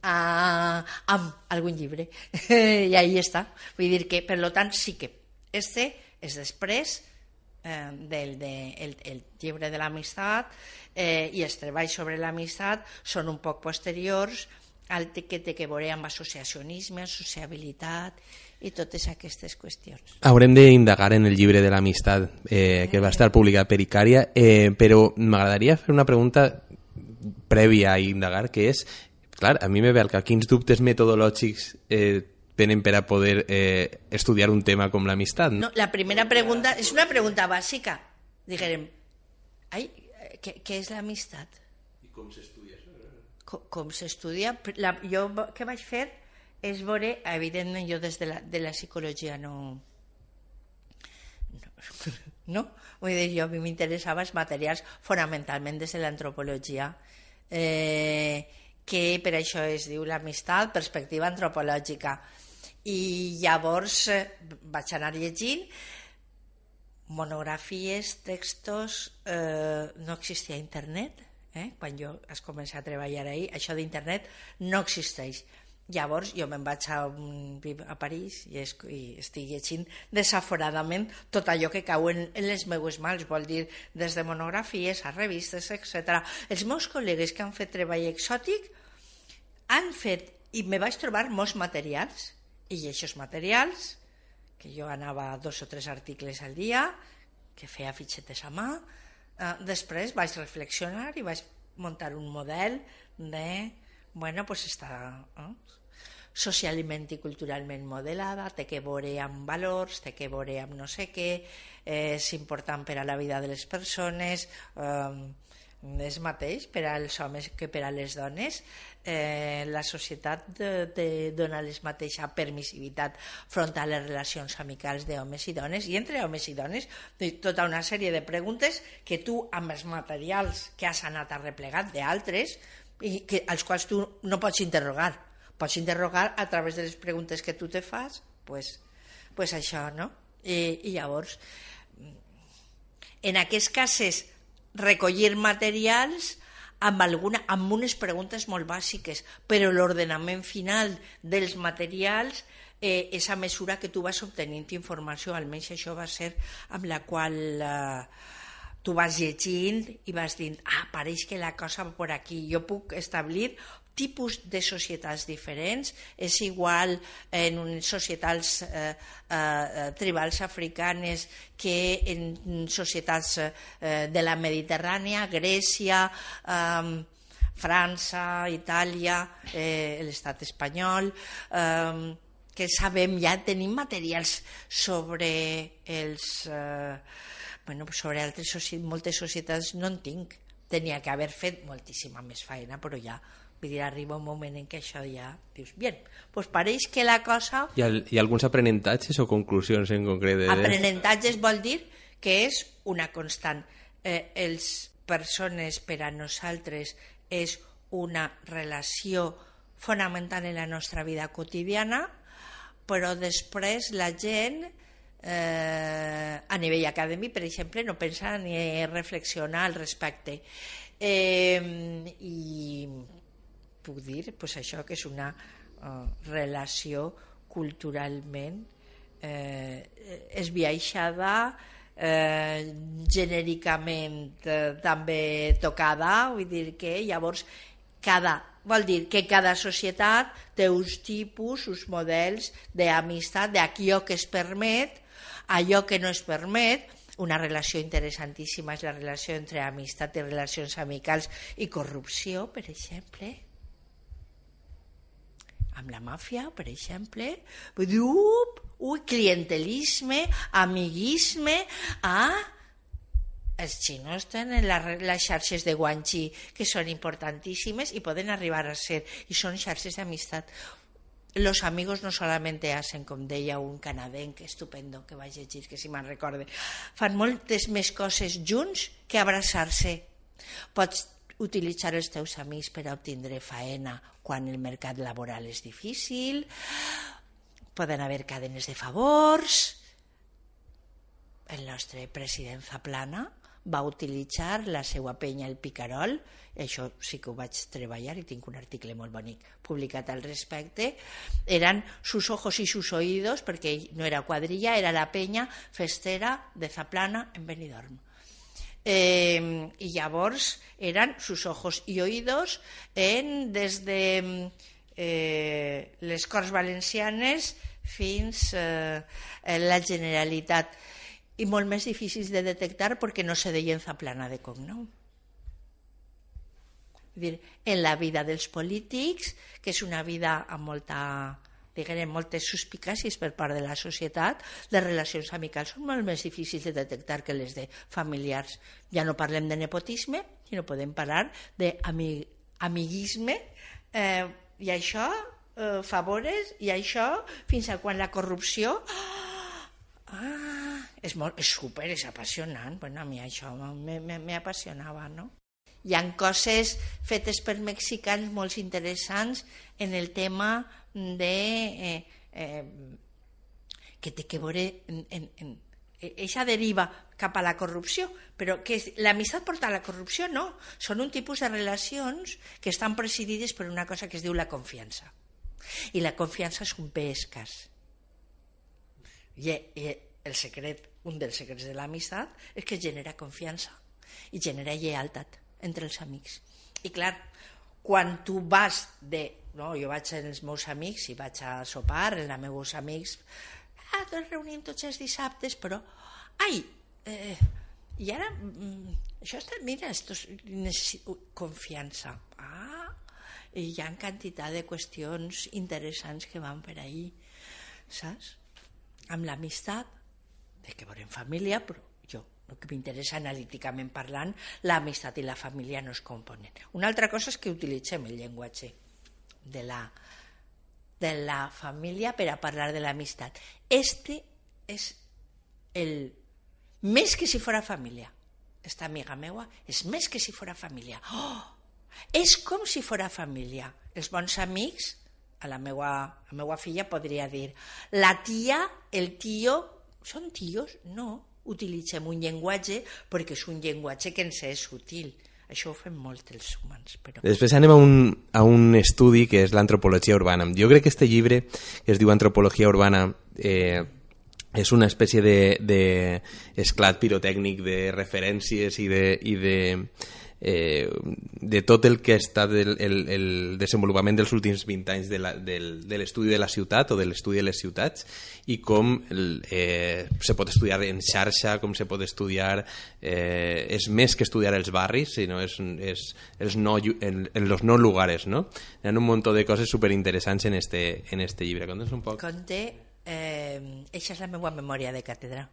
D: amb algun llibre. I ahí està. Vull dir que, per tant, sí que este és després del llibre de l'amistat, i els treballs sobre l'amistat són un poc posteriors al que té que veure amb associacionisme, sociabilitat i totes aquestes qüestions.
E: Haurem d'indagar en el llibre de l'amistat que va estar publicat per Icària, però m'agradaria fer una pregunta prèvia a indagar, que és, clar, a mi me ve al cap, quins dubtes metodològics tenen per a poder estudiar un tema com l'amistat?
D: No, la primera pregunta és una pregunta bàsica. Diguem, què és l'amistat?
E: I com s'estudia això?
D: Com s'estudia? Jo què vaig fer és veure, evidentment jo des de la psicologia no, vull dir, jo a mi m'interessava els materials fonamentalment des de l'antropologia, que per això es diu l'amistat, perspectiva antropològica. I llavors vaig anar llegint monografies, textos, no existia internet. Quan jo es comença a treballar ahir, això d'internet no existeix. Llavors jo me'n vaig a París i estic llegint desaforadament tot allò que cau en les meues mans, vol dir des de monografies a revistes, etc. Els meus col·legues que han fet treball exòtic han fet, i me vaig trobar molts materials, i aquests materials, que jo anava a 2 o 3 articles al dia, que feia fitxetes a mà, després vaig reflexionar i vaig muntar un model de, pues està socialment i culturalment modelada, té que veure amb valors, té que veure amb no sé què, és important per a la vida de les persones, és mateix per als homes que per a les dones. La societat dona la mateixa permissivitat front a les relacions amicals d'homes i dones, i entre homes i dones tota una sèrie de preguntes que tu amb els materials que has anat arreplegat d'altres i als quals tu no pots interrogar a través de les preguntes que tu te fas, pues això, no? I llavors en aquests casos recollir materials amb unes preguntes molt bàsiques, però l'ordenament final dels materials és a mesura que tu vas obtenint informació, almenys això va ser amb la qual tu vas llegint i vas dient, pareix que la cosa va per aquí, jo puc establir tipus de societats diferents, és igual en societats tribals africanes que en societats de la Mediterrània, Grècia, França, Itàlia, l'estat espanyol, que sabem, ja tenim materials sobre els Bueno, sobre moltes societats no en tinc. Tenia que haver fet moltíssima més feina, però ja, vull dir, arriba un moment en què això ja dius, bien, pues pareix que la cosa...
E: Hi ha alguns aprenentatges o conclusions en concret?
D: Aprenentatges vol dir que és una constant. Els persones per a nosaltres és una relació fonamental en la nostra vida quotidiana, però després la gent a nivell acadèmic, per exemple, no pensa ni reflexiona al respecte. I puc dir pues, això que és una relació culturalment esbiaixada, genèricament també tocada, vull dir que llavors vol dir que cada societat té uns tipus, uns models d'amistat, d'allò que es permet, allò que no es permet. Una relació interessantíssima és la relació entre amistat i relacions amicals i corrupció, per exemple. Amb la màfia, per exemple. Vull dir, clientelisme, amiguisme, els xinos tenen les xarxes de guanxi que són importantíssimes i poden arribar a ser, i són xarxes d'amistat. Los amigos no solamente hacen, com deia un canadenc estupendo que vaig llegir, que si me'n recorde, fan moltes més coses junts que abraçar-se. Pots utilitzar els teus amics per a obtindre faena quan el mercat laboral és difícil, poden haver cadenes de favors. El nostre president Zaplana va utilitzar la seva penya El Picarol, això sí que ho vaig treballar i tinc un article molt bonic publicat al respecte, eren sus ojos y sus oídos, perquè no era quadrilla, era la penya festera de Zaplana en Benidorm. I llavors eren sus ojos y oídos des de les Corts Valencianes fins a la Generalitat, i molt més difícils de detectar perquè no se deien Zaplana de cognom. En la vida dels polítics, que és una vida amb moltes suspicàcies per part de la societat, les relacions amicals són molt més difícils de detectar que les de familiars. Ja no parlem de nepotisme, sinó podem parlar d'amiguisme, i això, favores, i això, fins a quan la corrupció... és apassionant. Bueno, a mi això m'apassionava, no? Hi ha coses fetes per mexicans molt interessants en el tema de que té que veure eixa deriva cap a la corrupció, però que l'amistat porta a la corrupció, no. Són un tipus de relacions que estan presidides per una cosa que es diu la confiança. I la confiança és un bé escàs. I el secret, un dels secrets de l'amistat és que genera confiança i genera lleialtat entre els amics. I clar, quan tu vas jo vaig amb els meus amics i vaig a sopar amb els meus amics, ens reunim tots els dissabtes, però i ara això està, mira, necessito confiança. I hi ha quantitat de qüestions interessants que van per ahí, saps? Amb l'amistat, de que veurem família, però jo, el que m'interessa analíticament parlant, l'amistat i la família no es componen. Una altra cosa és que utilitzem el llenguatge de la família per a parlar de l'amistat. Este és el més que si fora família. Esta amiga meua és més que si fora família. És com si fora família. Els bons amics, a la meua filla podria dir la tia, el tio, són tios? No, utilitzem un llenguatge perquè és un llenguatge que ens és útil. Això ho fem molt els humans. Però...
E: Després anem a un estudi que és l'antropologia urbana. Jo crec que este llibre, que es diu Antropologia urbana, és una espècie d'esclat pirotècnic de referències i de tot el que ha estat el desenvolupament dels últims 20 anys de l'estudi de la ciutat o de l'estudi de les ciutats i com se pot estudiar en xarxa, com se pot estudiar és més que estudiar els barris, sinó és en los no lugares, no? Hi ha un munt de coses superinteressants en este llibre. Conta's un poc.
D: Eixa és la meva memòria de càtedra.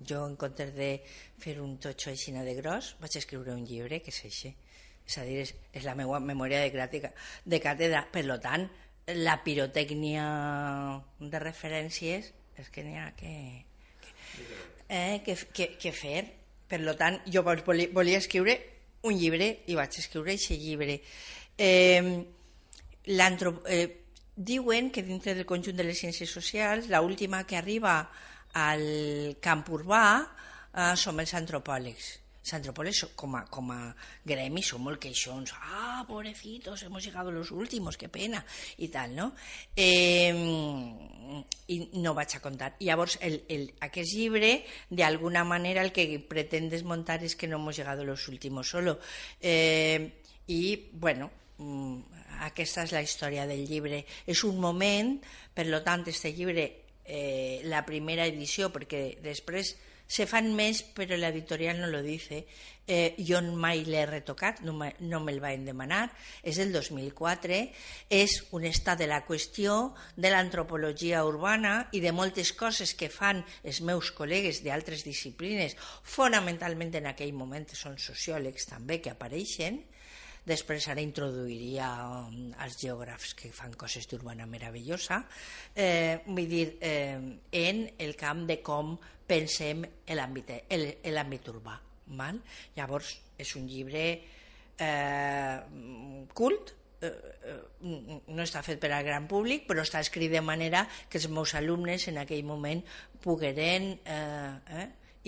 D: Jo, en comptes de fer un totxo així de gros, vaig escriure un llibre que és així. És a dir, és la meva memòria de càtedra. Per tant, la pirotècnia de referències és que n'hi ha que fer. Per tant, jo volia escriure un llibre i vaig escriure aquest llibre. Diuen que dintre del conjunt de les ciències socials l'última que arriba al camp urbà som els antropòlegs. Els antropòlegs com a gremi són molt queixons. Pobrecitos, hemos llegado los últimos, qué pena, i tal, no? I no vaig a contar. Llavors, aquest llibre, d'alguna manera, el que pretén desmuntar és que no hemos llegado los últimos solo. I, bueno, aquesta és la història del llibre. És un moment, per tant, aquest llibre, la primera edició, perquè després se fan més, però l'editorial no lo dice. Jo mai l'he retocat, no me'l van demanar. És del 2004, és un estat de la qüestió de l'antropologia urbana i de moltes coses que fan els meus col·legues d'altres disciplines, fonamentalment en aquell moment són sociòlegs també que apareixen. Després ara introduiria els geògrafs que fan coses d'urbana meravellosa, vull dir, en el camp de com pensem l'àmbit urbà. Llavors, és un llibre cult, no està fet per al gran públic, però està escrit de manera que els meus alumnes en aquell moment pogueren,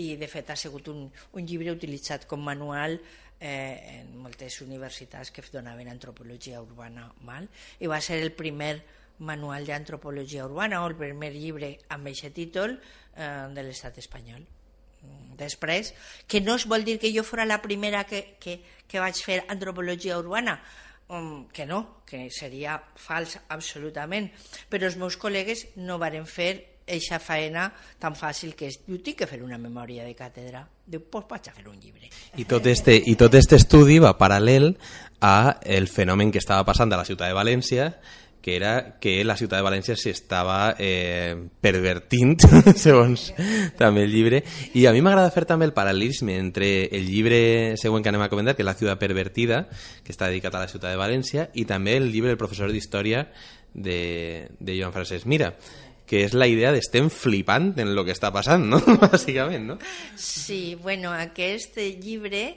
D: i de fet ha sigut un llibre utilitzat com manual en moltes universitats que donaven antropologia urbana, i va ser el primer manual d'antropologia urbana o el primer llibre amb aquest títol de l'estat espanyol. Després, que no es vol dir que jo fora la primera que vaig fer antropologia urbana, que no, que seria fals absolutament, però els meus col·legues no varen fer eixa faena tan fàcil que és, diu, tinc que fer una memòria de càtedra. Diu, doncs vaig a fer un llibre.
E: I tot este estudi va paral·lel a el fenomen que estava passant a la ciutat de València, que era que la ciutat de València s'estava pervertint, segons també el llibre. I a mi m'agrada fer també el paral·lelisme entre el llibre següent que anem a comentar, que és La ciutat pervertida, que està dedicat a la ciutat de València, i també el llibre del professor d'història de Joan Francesc Mira, que és la idea d'estem flipant en el que està passant, no? Bàsicament, no?
D: Sí, bueno, aquest llibre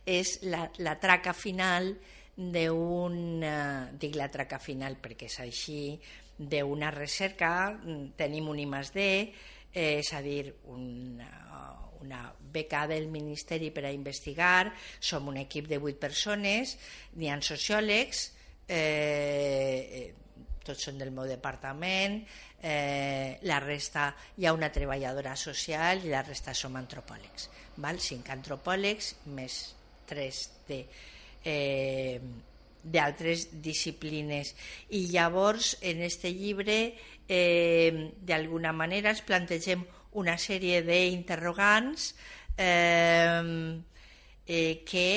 D: és la traca final dic la traca final perquè és així, d'una recerca, tenim un I+D, és a dir, una beca del Ministeri per a investigar, som un equip de 8 persones, n'hi ha sociòlegs, tots són del meu departament, la resta hi ha una treballadora social i la resta som antropòlegs, 5 antropòlegs més 3 d'altres disciplines. I llavors en aquest llibre d'alguna manera ens plantegem una sèrie d'interrogants que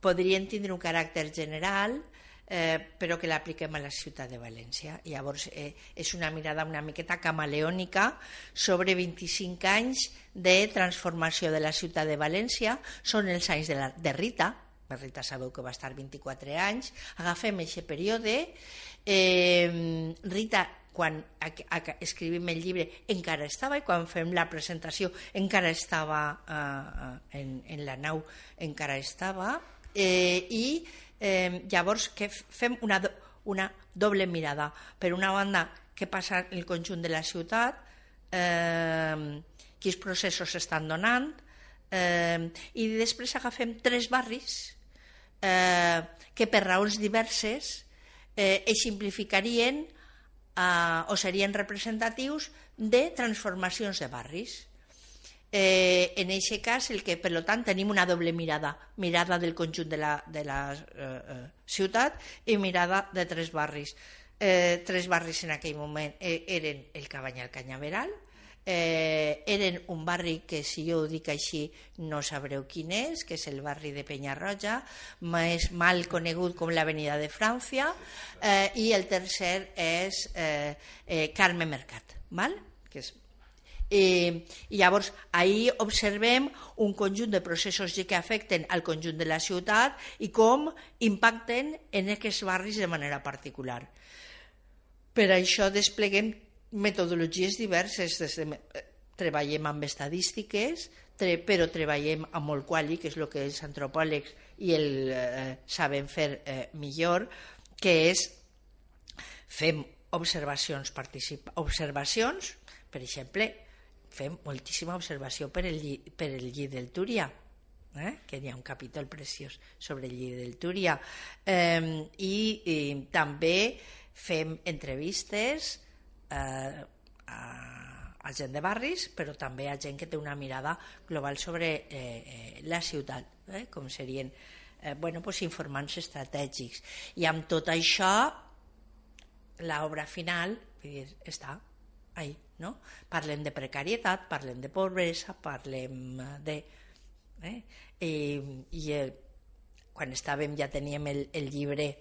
D: podrien tindre un caràcter general, però que l'apliquem a la ciutat de València. Llavors és una mirada una miqueta camaleònica sobre 25 anys de transformació de la ciutat de València. Són els anys de Rita. Rita sabeu que va estar 24 anys. Agafem aquest període. Rita, quan escrivim el llibre, encara estava, i quan fem la presentació encara estava en la nau, encara estava. I llavors que fem una doble mirada. Per una banda, què passa en el conjunt de la ciutat, quins processos s'estan donant, i després agafem 3 barris que per raons diverses eixamplificarien o serien representatius de transformacions de barris. En aquest cas, per tant, tenim una doble mirada del conjunt de la ciutat i mirada de 3 barris. 3 barris en aquell moment eren el Cabanyal Canyaveral, eren un barri que, si jo ho dic així, no sabreu quin és, que és el barri de Penyarroja, més mal conegut com l'Avenida de França, i el tercer és Carme Mercat, que és. I llavors ahir observem un conjunt de processos que afecten al conjunt de la ciutat i com impacten en aquests barris de manera particular. Per això despleguem metodologies diverses, treballem amb estadístiques, però treballem amb molt quali, que és el que els antropòlegs i el saben fer millor, que és fem observacions, per exemple, fem moltíssima observació per el lli del Túria, que hi ha un capítol preciós sobre el lli del Túria, i també fem entrevistes a gent de barris, però també a gent que té una mirada global sobre la ciutat, com serien informants estratègics. I amb tot això, l'obra final està ahí, no? Parlem de precarietat, parlem de pobresa, parlem de... quan estàvem ja teníem el llibre,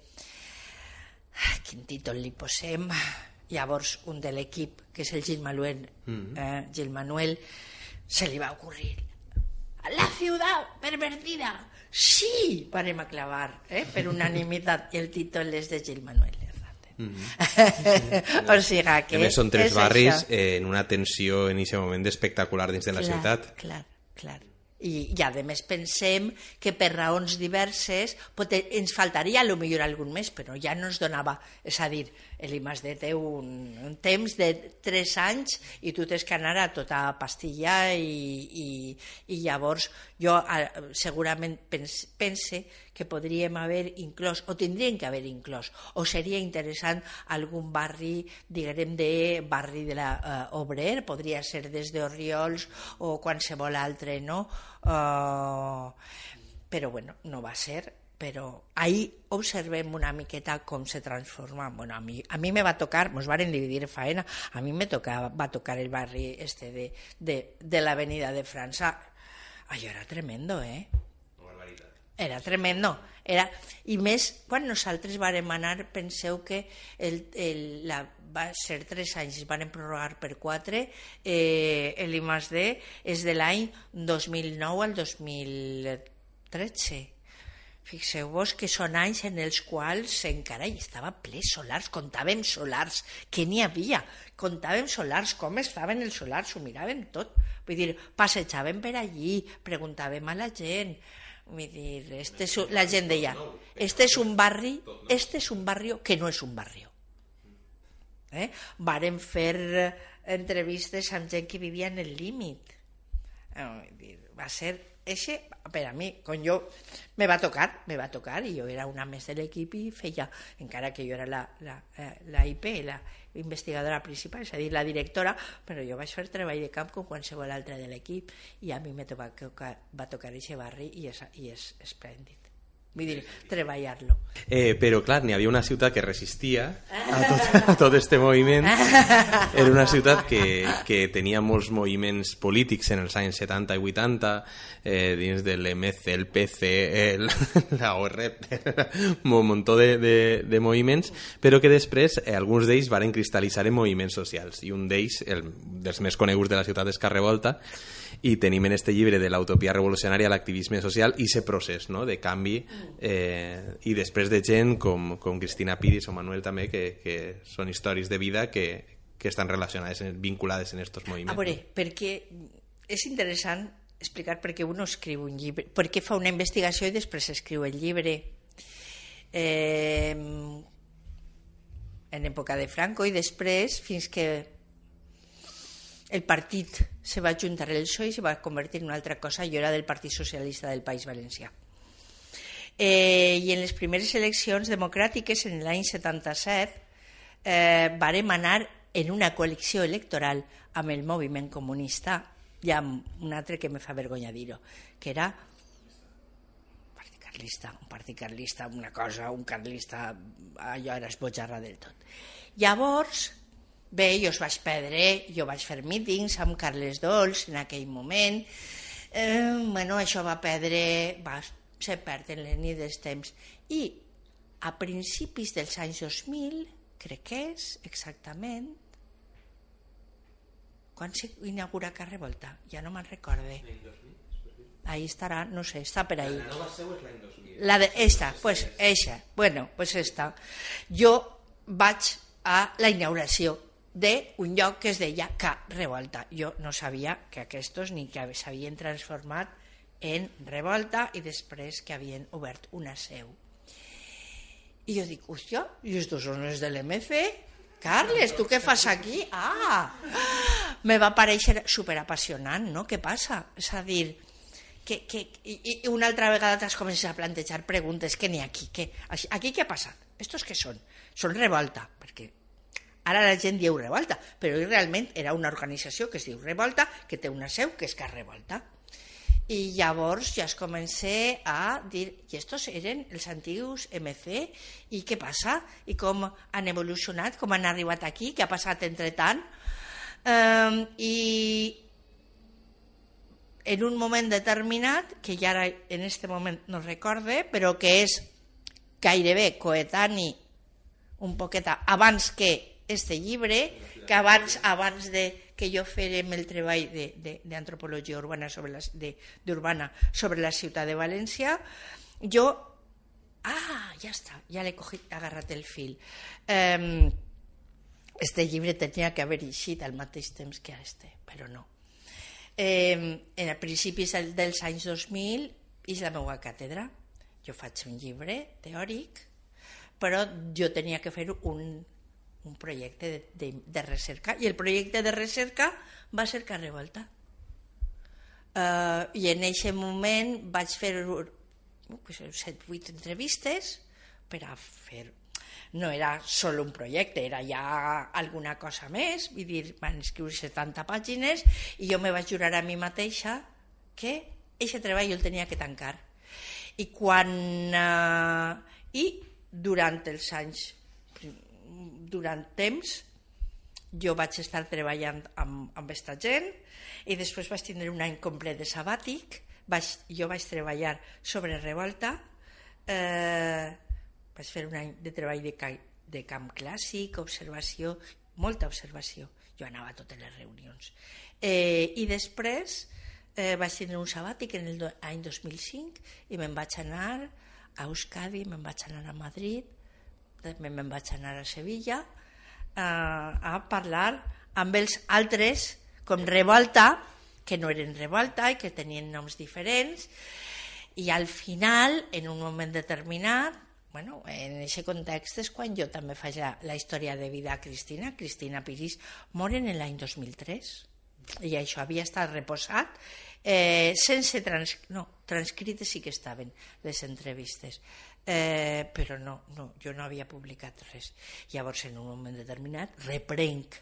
D: quin títol li posem, llavors un de l'equip, que és el Gil Manuel, se li va ocurrir la ciutat pervertida, sí, parem a clavar per unanimitat, i el títol és de Gil Manuel. O sigui que...
E: A més, són 3 barris en una tensió en aquest moment espectacular dins de la ciutat.
D: Clar. I a més pensem que per raons diverses ens faltaria potser algun més, però ja no ens donava, és a dir, l'I+D té un temps de 3 anys i tu tens que anar a tota pastilla i llavors jo segurament pense que podríem haver inclòs, o tindríem que haver inclòs, o seria interessant algun barri, diguem, de barri de l'Obrer, podria ser des d'Orriols o qualsevol altre, no? Però bueno, no va ser, però ahí observem una miqueta com se transforma. Bueno, a mi me va tocar, nos varen dividir faena, a mi va tocar el barri de l'avenida de França. Allò era tremendo, era tremendo. I més, quan nosaltres vàrem anar, penseu que va ser 3 anys, es van prorrogar per 4, l'I+D és de l'any 2009 al 2013. Fixeu-vos que són anys en els quals encara hi estava ple solars, comptàvem solars, què n'hi havia? Comptàvem solars, com estaven els solars, ho miràvem tot. Vull dir, passejàvem per allí, preguntàvem a la gent. Vull dir, la gent deia, este és un barri que no és un barri. Varen fer entrevistes amb gent que vivia en el límit. Va ser eixe, per a mi, quan jo me va tocar, i jo era una més de l'equip i feia, encara que jo era la IP, la investigadora principal, és a dir, la directora, però jo vaig fer treball de camp com qualsevol altre de l'equip i a mi va tocar eixe barri i és esplèndid. Vull dir, treballar-lo.
E: Però clar, n'hi havia una ciutat que resistia a tot este moviment. Era una ciutat que tenia molts moviments polítics en els anys 70 i 80, dins de l'MC, el PC, la OREP, un muntó de moviments, però que després alguns d'ells varen cristal·litzar en moviments socials, i un d'ells, dels més coneguts de la ciutat, és Carrevolta, i tenim en este llibre de l'utopia revolucionària l'activisme social i aquest procés, no?, de canvi, i després de gent com Cristina Piris o Manuel també, que són històries de vida que estan relacionades, vinculades en aquests moviments.
D: A veure, perquè és interessant explicar per què un escriu un llibre, per què fa una investigació i després escriu el llibre. En època de Franco i després, fins que el partit se va juntar el PSOE i se va convertir en una altra cosa. Jo era del Partit Socialista del País Valencià. I en les primeres eleccions democràtiques, en l'any 77, vàrem anar en una coalició electoral amb el moviment comunista i amb un altre que me fa vergonya dir-ho, que era un partit carlista, una cosa, un carlista, allò era esbojarra del tot. Llavors, bé, jo vaig perdre, jo vaig fer mítings amb Carles Dols en aquell moment, això va se perd en les nits dels temps. I a principis dels anys 2000, crec que és exactament, Quan s'inaugura Car Revolta? Ja no me'n recorde. Ahí estarà, no sé, està per ahí.
E: La nova seu és l'any 2000.
D: La de esta, pues eixa. Bueno, pues esta. Jo vaig a la inauguració d'un lloc que es deia Car Revolta. Jo no sabia que aquests ni que s'havien transformat en Revolta i després que havien obert una seu. I jo dic, hòstia, i estos són els de l'MC? Carles, tu què fas aquí? Me va parèixer superapassionant, no? Què passa? És a dir, i una altra vegada t'has començat a plantejar preguntes que n'hi ha aquí. Aquí què ha passat? Estos què són? Són Revolta, perquè ara la gent diu Revolta, però realment era una organització que es diu Revolta, que té una seu que és Car Revolta. I llavors ja es comencé a dir, i estos eren els antics MC, i què passa? I com han evolucionat, com han arribat aquí, què ha passat entretant? I en un moment determinat, que ja ara en aquest moment no recorde, però que és gairebé coetani un poqueta abans que este llibre, que abans de que jo fèrem el treball d'antropologia urbana d'urbana sobre la ciutat de València, jo... ja està, ja l'he agarrat el fil. Este llibre tenia que haver eixit al mateix temps que este, però no. En principis dels anys 2000 és la meva càtedra. Jo faig un llibre teòric, però jo tenia que fer un projecte de recerca, i el projecte de recerca va ser Car Revolta. I en aquest moment vaig fer 7-8 entrevistes per a fer... No era sol un projecte, era ja alguna cosa més, vull dir, van escriure 70 pàgines i jo me vaig jurar a mi mateixa que aquest treball jo el tenia que tancar. I durant els anys, durant temps, jo vaig estar treballant amb aquesta gent i després vaig tindre un any complet de sabàtic. Jo vaig treballar sobre Revolta, vaig fer un any de treball de camp clàssic, observació, molta observació. Jo anava a totes les reunions. I després vaig tindre un sabàtic en l'any 2005 i me'n vaig anar a Euskadi, me'n vaig anar a Madrid, també me'n vaig anar a Sevilla a parlar amb els altres com Revolta, que no eren Revolta i que tenien noms diferents, i al final, en un moment determinat, en aquest context és quan jo també faig la història de vida a Cristina Piris mor en l'any 2003 i això havia estat reposat sense transcrites sí que estaven les entrevistes, però jo no havia publicat res. Llavors en un moment determinat reprenc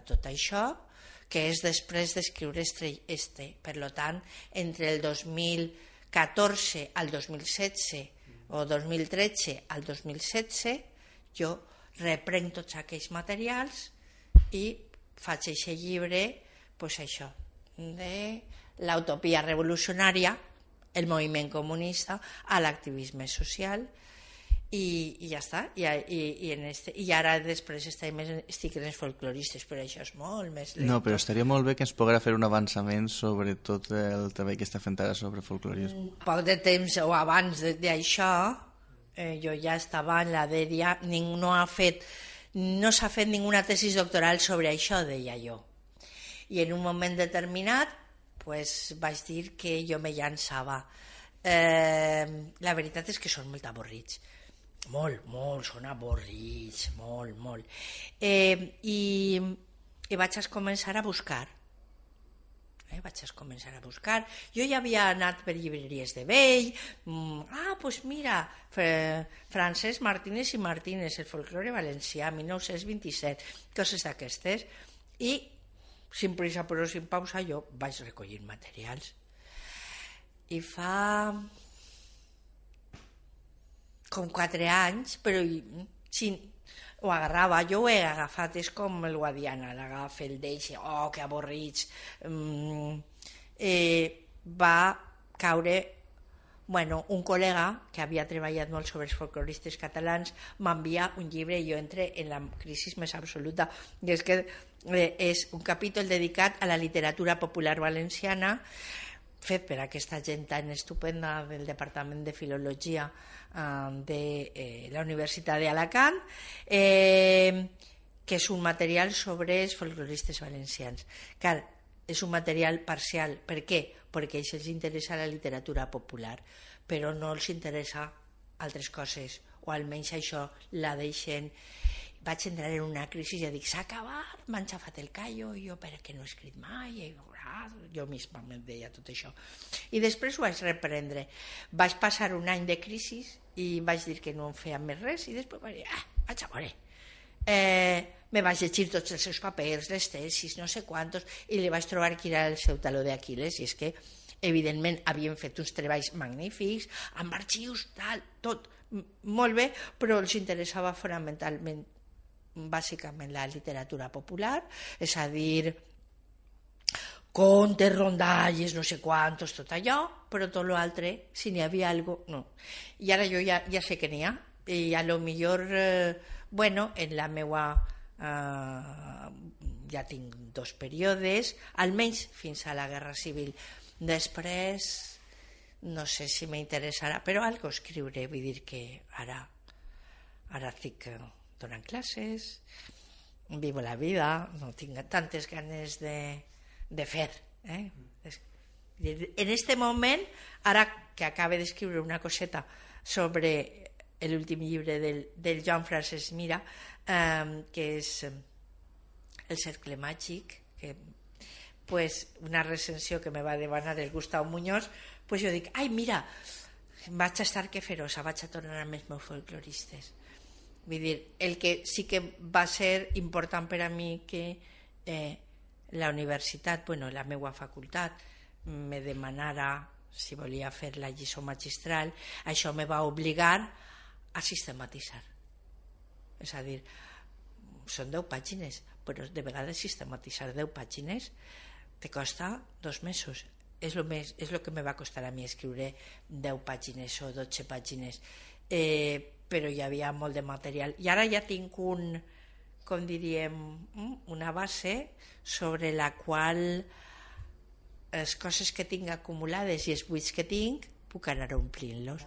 D: tot això, que és després d'escriure per tant entre el 2014 al 2016 o 2013 al 2016 jo reprenc tots aquells materials i faig aquest llibre, això, de l'utopia revolucionària, el moviment comunista, a l'activisme social, i ja està. I ara després estic en els folcloristes, però això és molt més lent.
C: No, però estaria molt bé que ens poguera fer un avançament sobre tot el treball que està fent ara sobre folclorisme.
D: Poc de temps o abans d'això, jo ja estava en la dèria, no s'ha fet ninguna tesis doctoral sobre això, deia jo. I en un moment determinat vaig dir que jo me llançava. La veritat és que són molt avorrits. Molt, són avorrits, molt. I vaig començar a buscar. Jo ja havia anat per llibreries de vell, mira, Francesc Martínez i Martínez, el folklore valencià, 1927, coses d'aquestes, i sin prisa però sin pausa jo vaig recollir materials. I fa com 4 anys, però ho agarrava, jo ho he agafat, és com el Guadiana, l'agafa, el deixa, que avorrits. Va caure, un col·lega que havia treballat molt sobre els folcloristes catalans m'envia un llibre i jo entré en la crisi més absoluta, i és que és un capítol dedicat a la literatura popular valenciana, fet per aquesta gent tan estupenda del Departament de Filologia de la Universitat d'Alacant, que és un material sobre els folcloristes valencians. Clar, és un material parcial. Per què? Perquè els interessa la literatura popular, però no els interessa altres coses, o almenys això la deixen. Vaig entrar en una crisi i dic, s'ha acabat, m'han xafat el callo, jo perquè no he escrit mai, jo misma em deia tot això. I després ho vaig reprendre. Vaig passar un any de crisi i vaig dir que no em feia més res, i després vaig dir, vaig a veure. Me vaig llegir tots els seus papers, les tesis, no sé quantos, i li vaig trobar que era el seu taló d'Aquil·les, i és que evidentment havien fet uns treballs magnífics, amb arxius, tal, tot molt bé, però els interessava fonamentalment, bàsicament, la literatura popular, és a dir, contes, rondalles, no sé quantos, tot allò, però tot l'altre, si n'hi havia alguna cosa, no. I ara jo ja sé que n'hi ha, i a lo millor, bueno, en la meua... ja tinc 2 períodes, almenys fins a la Guerra Civil. Després, no sé si m'interessarà, però algo escriuré, vull dir que ara estic donant classes, vivo la vida, no tinc tantes ganes de fer. En este moment, ara que acabe d'escriure una coseta sobre l'últim llibre del Joan Francesc Mira, que és El cercle màgic, que una recensió que me va demanar el Gustau Muñoz, jo dic, ai mira, vaig a estar que feroça, vaig a tornar amb els meus folcloristes. Vull dir, el que sí que va ser important per a mi que la universitat, la meva facultat, me demanara si volia fer la lliçó magistral, això me va obligar a sistematitzar. És a dir, són 10 pàgines, però de vegades sistematitzar 10 pàgines te costa 2 mesos. És el que me va costar a mi escriure 10 pàgines o 12 pàgines, però hi havia molt de material. I ara ja tinc com diríem, una base sobre la qual les coses que tinc acumulades i els buits que tinc puc anar omplint-los.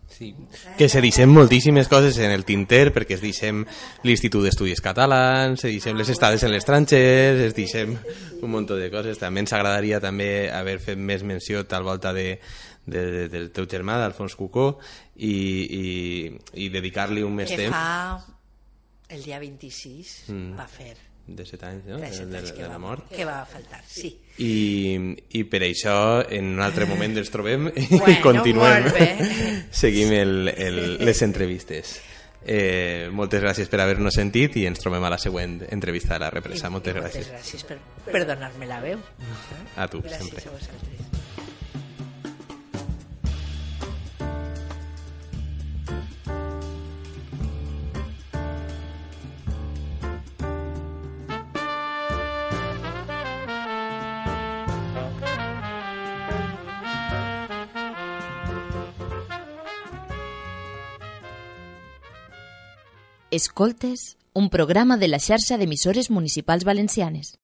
E: Sí, que se deixem moltíssimes coses en el tinter, perquè es deixem l'Institut d'Estudis Catalans, se deixem les estades en l'estranger, es deixem un munt de coses. També ens agradaria també haver fet més menció tal volta del teu germà, d'Alfons Cucó, i dedicar-li un més temps.
D: Que fa el dia 26 va fer
E: de 7 anys, no? De la mort.
D: Que va faltar, sí.
E: I per això en un altre moment ens trobem i continuem. Seguim les entrevistes. Moltes gràcies per haver-nos sentit i ens trobem a la següent entrevista de La Represa. Moltes gràcies.
D: Moltes gràcies per donar-me la veu.
E: A tu,
D: gràcies
E: sempre.
D: Gràcies a vosaltres.
A: Escoltes, un programa de la xarxa d'emissores municipals valencianes.